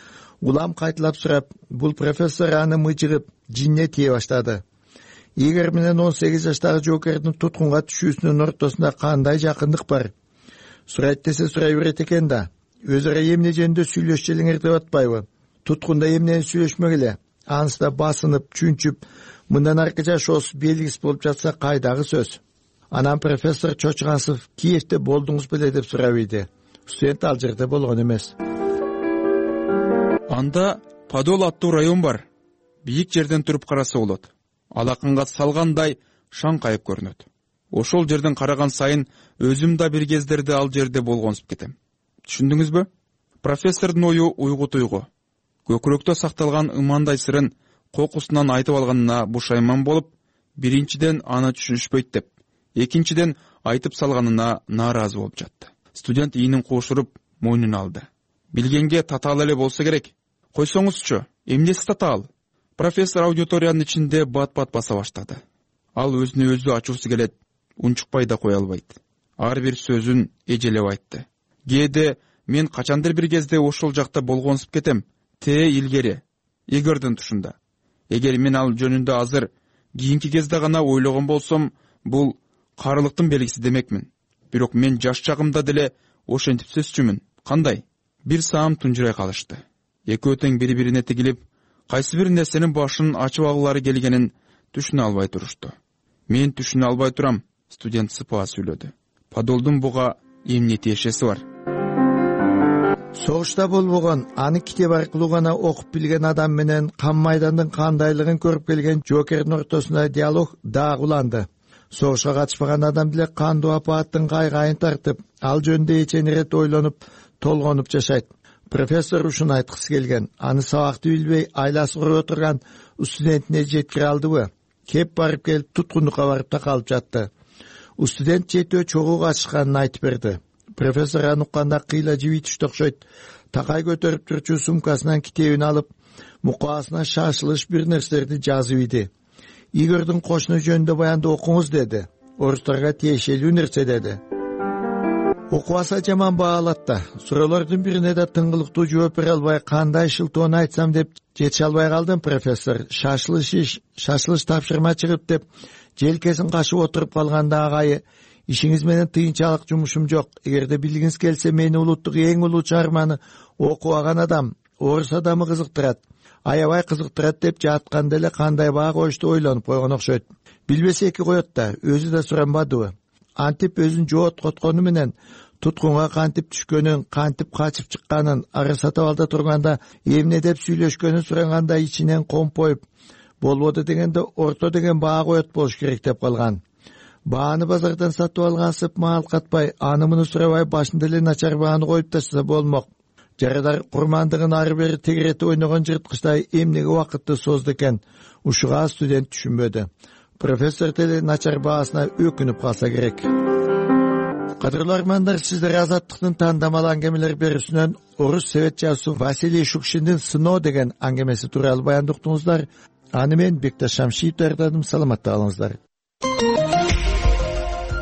улам кайталап сурап, бул профессор аны мыжыгып, жинне тие баштады. Игорь менен он сегиз жаштагы жоокердин туткунга түшүүсүнүн ортосунда кандай жакындык бар? Сурайт десе сурай берет экен да. Өзү ара эмне жөнүндө сүйлөшчү элеңер деп атпайбы? Туткунда эмнени сүйлөшмөк эле? Анысы да басынып, чүнчүп, мындан аркы жашоосу белгисиз болуп жатса кайдагы сөз? Анан профессор чочугансып, Киевде болдуңуз беле деп сурабыйды. Студент ал жерде болгон эмес. Анда Подол аттуу район бар. Бийик жерден туруп караса болот. Алакынга салгандай шаңкайып көрүнөт. Ошол жерден караган сайын өзүм да бир кездерде ал жерде болгонсуп кетем. Түшүндүңүзбү? Профессордун ою уйгу туйгу. Көкүрөктө сакталган ымандай сырын кокусунан айтып алганына бушайман болуп, биринчиден аны түшүнүшпөйт деп, экинчиден айтып салганына нааразы болуп жатты. Студент ийинин куушуруп мойнун алды. Билгенге татаал эле болсо керек. Койсоңузчу, эмнеси татаал? Профессор аудиториянын ичинде бат-бат баса баштады. Ал өзүнө өзү ачуусу келет, унчукпай да кое албайт. Ар бир сөзүн эжелеп айтты. Кээде мен качандыр бир кезде ошол жакта болгонсуп кетем. Те илгери, Игорьдун тушунда. Эгер мен ал жөнүндө азыр кийинки кезде гана ойлогон болсом, бул карылыктын белгиси демекмин. Бирок мен жаш чагымда деле ошентип сөзчүмүн. Кандай? Бир саам тунжурай калышты. Экөө тең бири-бирине тигилип, кайсы бир нерсенин башын ачып алгылары келгенин түшүнө албай турушту. Мен түшүнө албай турам, студент сыпаа сүйлөдү. Подолдун буга эмне тиешеси бар? Согушта болбогон, аны китеп аркылуу гана окуп билген адам менен кан майдандын кандайлыгын көрүп келген жоокердин ортосунда диалог дагы уланды. Согушка катышпаган адам деле кандуу апааттын кайгайын тартып, ал жөнүндө эчен ирет ойлонуп, толгонуп жашайт. Профессор ушуну айткысы келген. Аны сабакты билбей айласы куруп отурган студентине жеткире алдыбы? Кеп барып келип туткундукка барып такалып жатты. Студент жетөө чогуу катышканын айтып берди. Профессор аны укканда кыйла жиби түштү окшойт. Такай көтөрүп турчу сумкасынан китебин алып, мукаасына шашылыш бир нерселерди жазып иди. Игорьдун кошуну жөнүндө баянды окуңуз деди. Орустарга тиешелүү нерсе деди. Окубаса жаман баалат да. Суроолордун бирине да тыңгылыктуу жооп бере албай, кандай шылтоону айтсам деп жете албай калдым. Профессор шашылыш иш, шашылыш тапшырма чыгып деп желкесин кашып отуруп калганда агайы, ишиңиз менен тыйынчалык жумушум жок. Эгерде билгиңиз келсе, мени улуттук эң улуу чыгарманы окубаган адам, орус адамы кызыктырат. Аябай кызыктырат деп жатканда эле кандай баа коюшту ойлонуп койгон окшойт. Билбесе эки коет да, өзү да суранбадыбы? антип өзүн жооткоткону менен туткунга кантип түшкөнүн, кантип качып чыкканын, ары сатып алда турганда эмне деп сүйлөшкөнүн сураганда ичинен компоюп, болбоду дегенде орто деген баа коет болуш керек деп калган. Бааны базардан сатып алгансып маал катпай, аны муну сурабай башында эле начар бааны коюп ташса болмок. Жарадар курмандыгын ары бери тегеретип ойногон жырткычтай эмнеге убакытты созду экен? Ушуга студент түшүнбөдү. Профессор деле начар баасына өкүнүп калса керек. Кадырлуу армандар, сиздер Азаттыктын тандамал аңгемелер берүүсүнөн орус совет жазуучусу Василий Шукшиндин «Сыноо» деген аңгемеси тууралуу баянды уктуңуздар. Аны мен Бекташ Шамшиев даярдадым. Саламатта калыңыздар.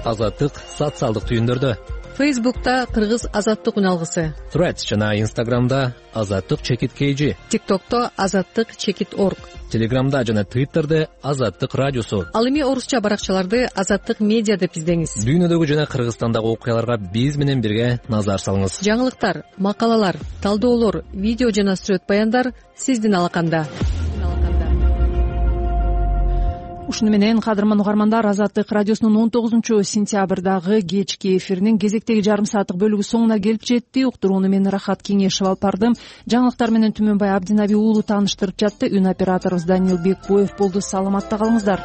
Азаттык социалдык түйүндөрдө. Фейсбукта Кыргыз Азаттык үналгысы. Threads жана Инстаграмда Азаттык чекит kg. ТикТокто Азаттык чекит орг. Телеграмда жана Твиттерде Азаттык радиосу. Ал эми орусча баракчаларды Азаттык медиа деп издеңиз. Дүйнөдөгү жана Кыргызстандагы окуяларга биз менен бирге назар салыңыз. Жаңылыктар, макалалар, талдоолор, видео жана сүрөт баяндар сиздин алаканда. Ушуну менен кадырман угармандар, Азаттык радиосунун он тогузунчу сентябрдагы кечки эфиринин кезектеги жарым сааттык бөлүгү соңуна келип жетти. Уктурууну мен Рахат Кеңешев алып бардым. Жаңылыктар менен Түмөнбай Абдинаби уулу тааныштырып жатты. Үн операторубуз Данил Бекбоев болду. Саламатта калыңыздар.